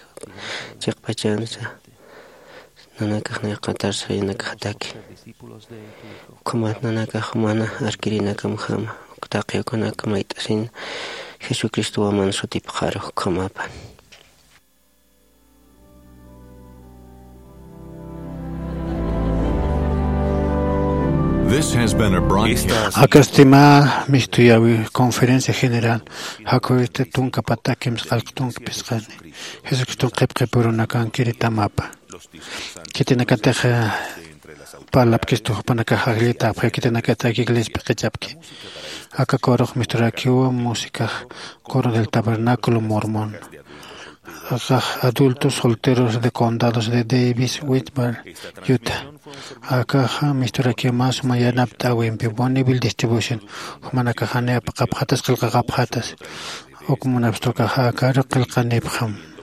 chiqpachansa. Nanakax nayqatarsa yanakaxtaki. Ukhamat nanakax mana arkirinakamjama, uk taqi ukanak mayt'asin Jesucristowaman sutipxaru ukhamapan. This has been a broadcast. Akasti mä mistuyawi conferencia general, jakhüwista tunka patakims qallq tunka phisqani, Jesucriston qhipqipurunakankiritamapa. Khitinakatix, eh, parlapkistu jupanakax ajllitapxi, khitinakatix iglesia p'iqichapki. Aka corox misturakiwa música, Coro del Tabernáculo Mormón. Akax adultos solteros de condados de Davis, Whitmer, Utah. Akaxa misturakiw mä suma yanapt'äwimpi Bonneville Distribution. Jumanakax janiw apaqapxatas, qillqaqapxatas. Uk munapxtukaxa akaru qillqanipxam.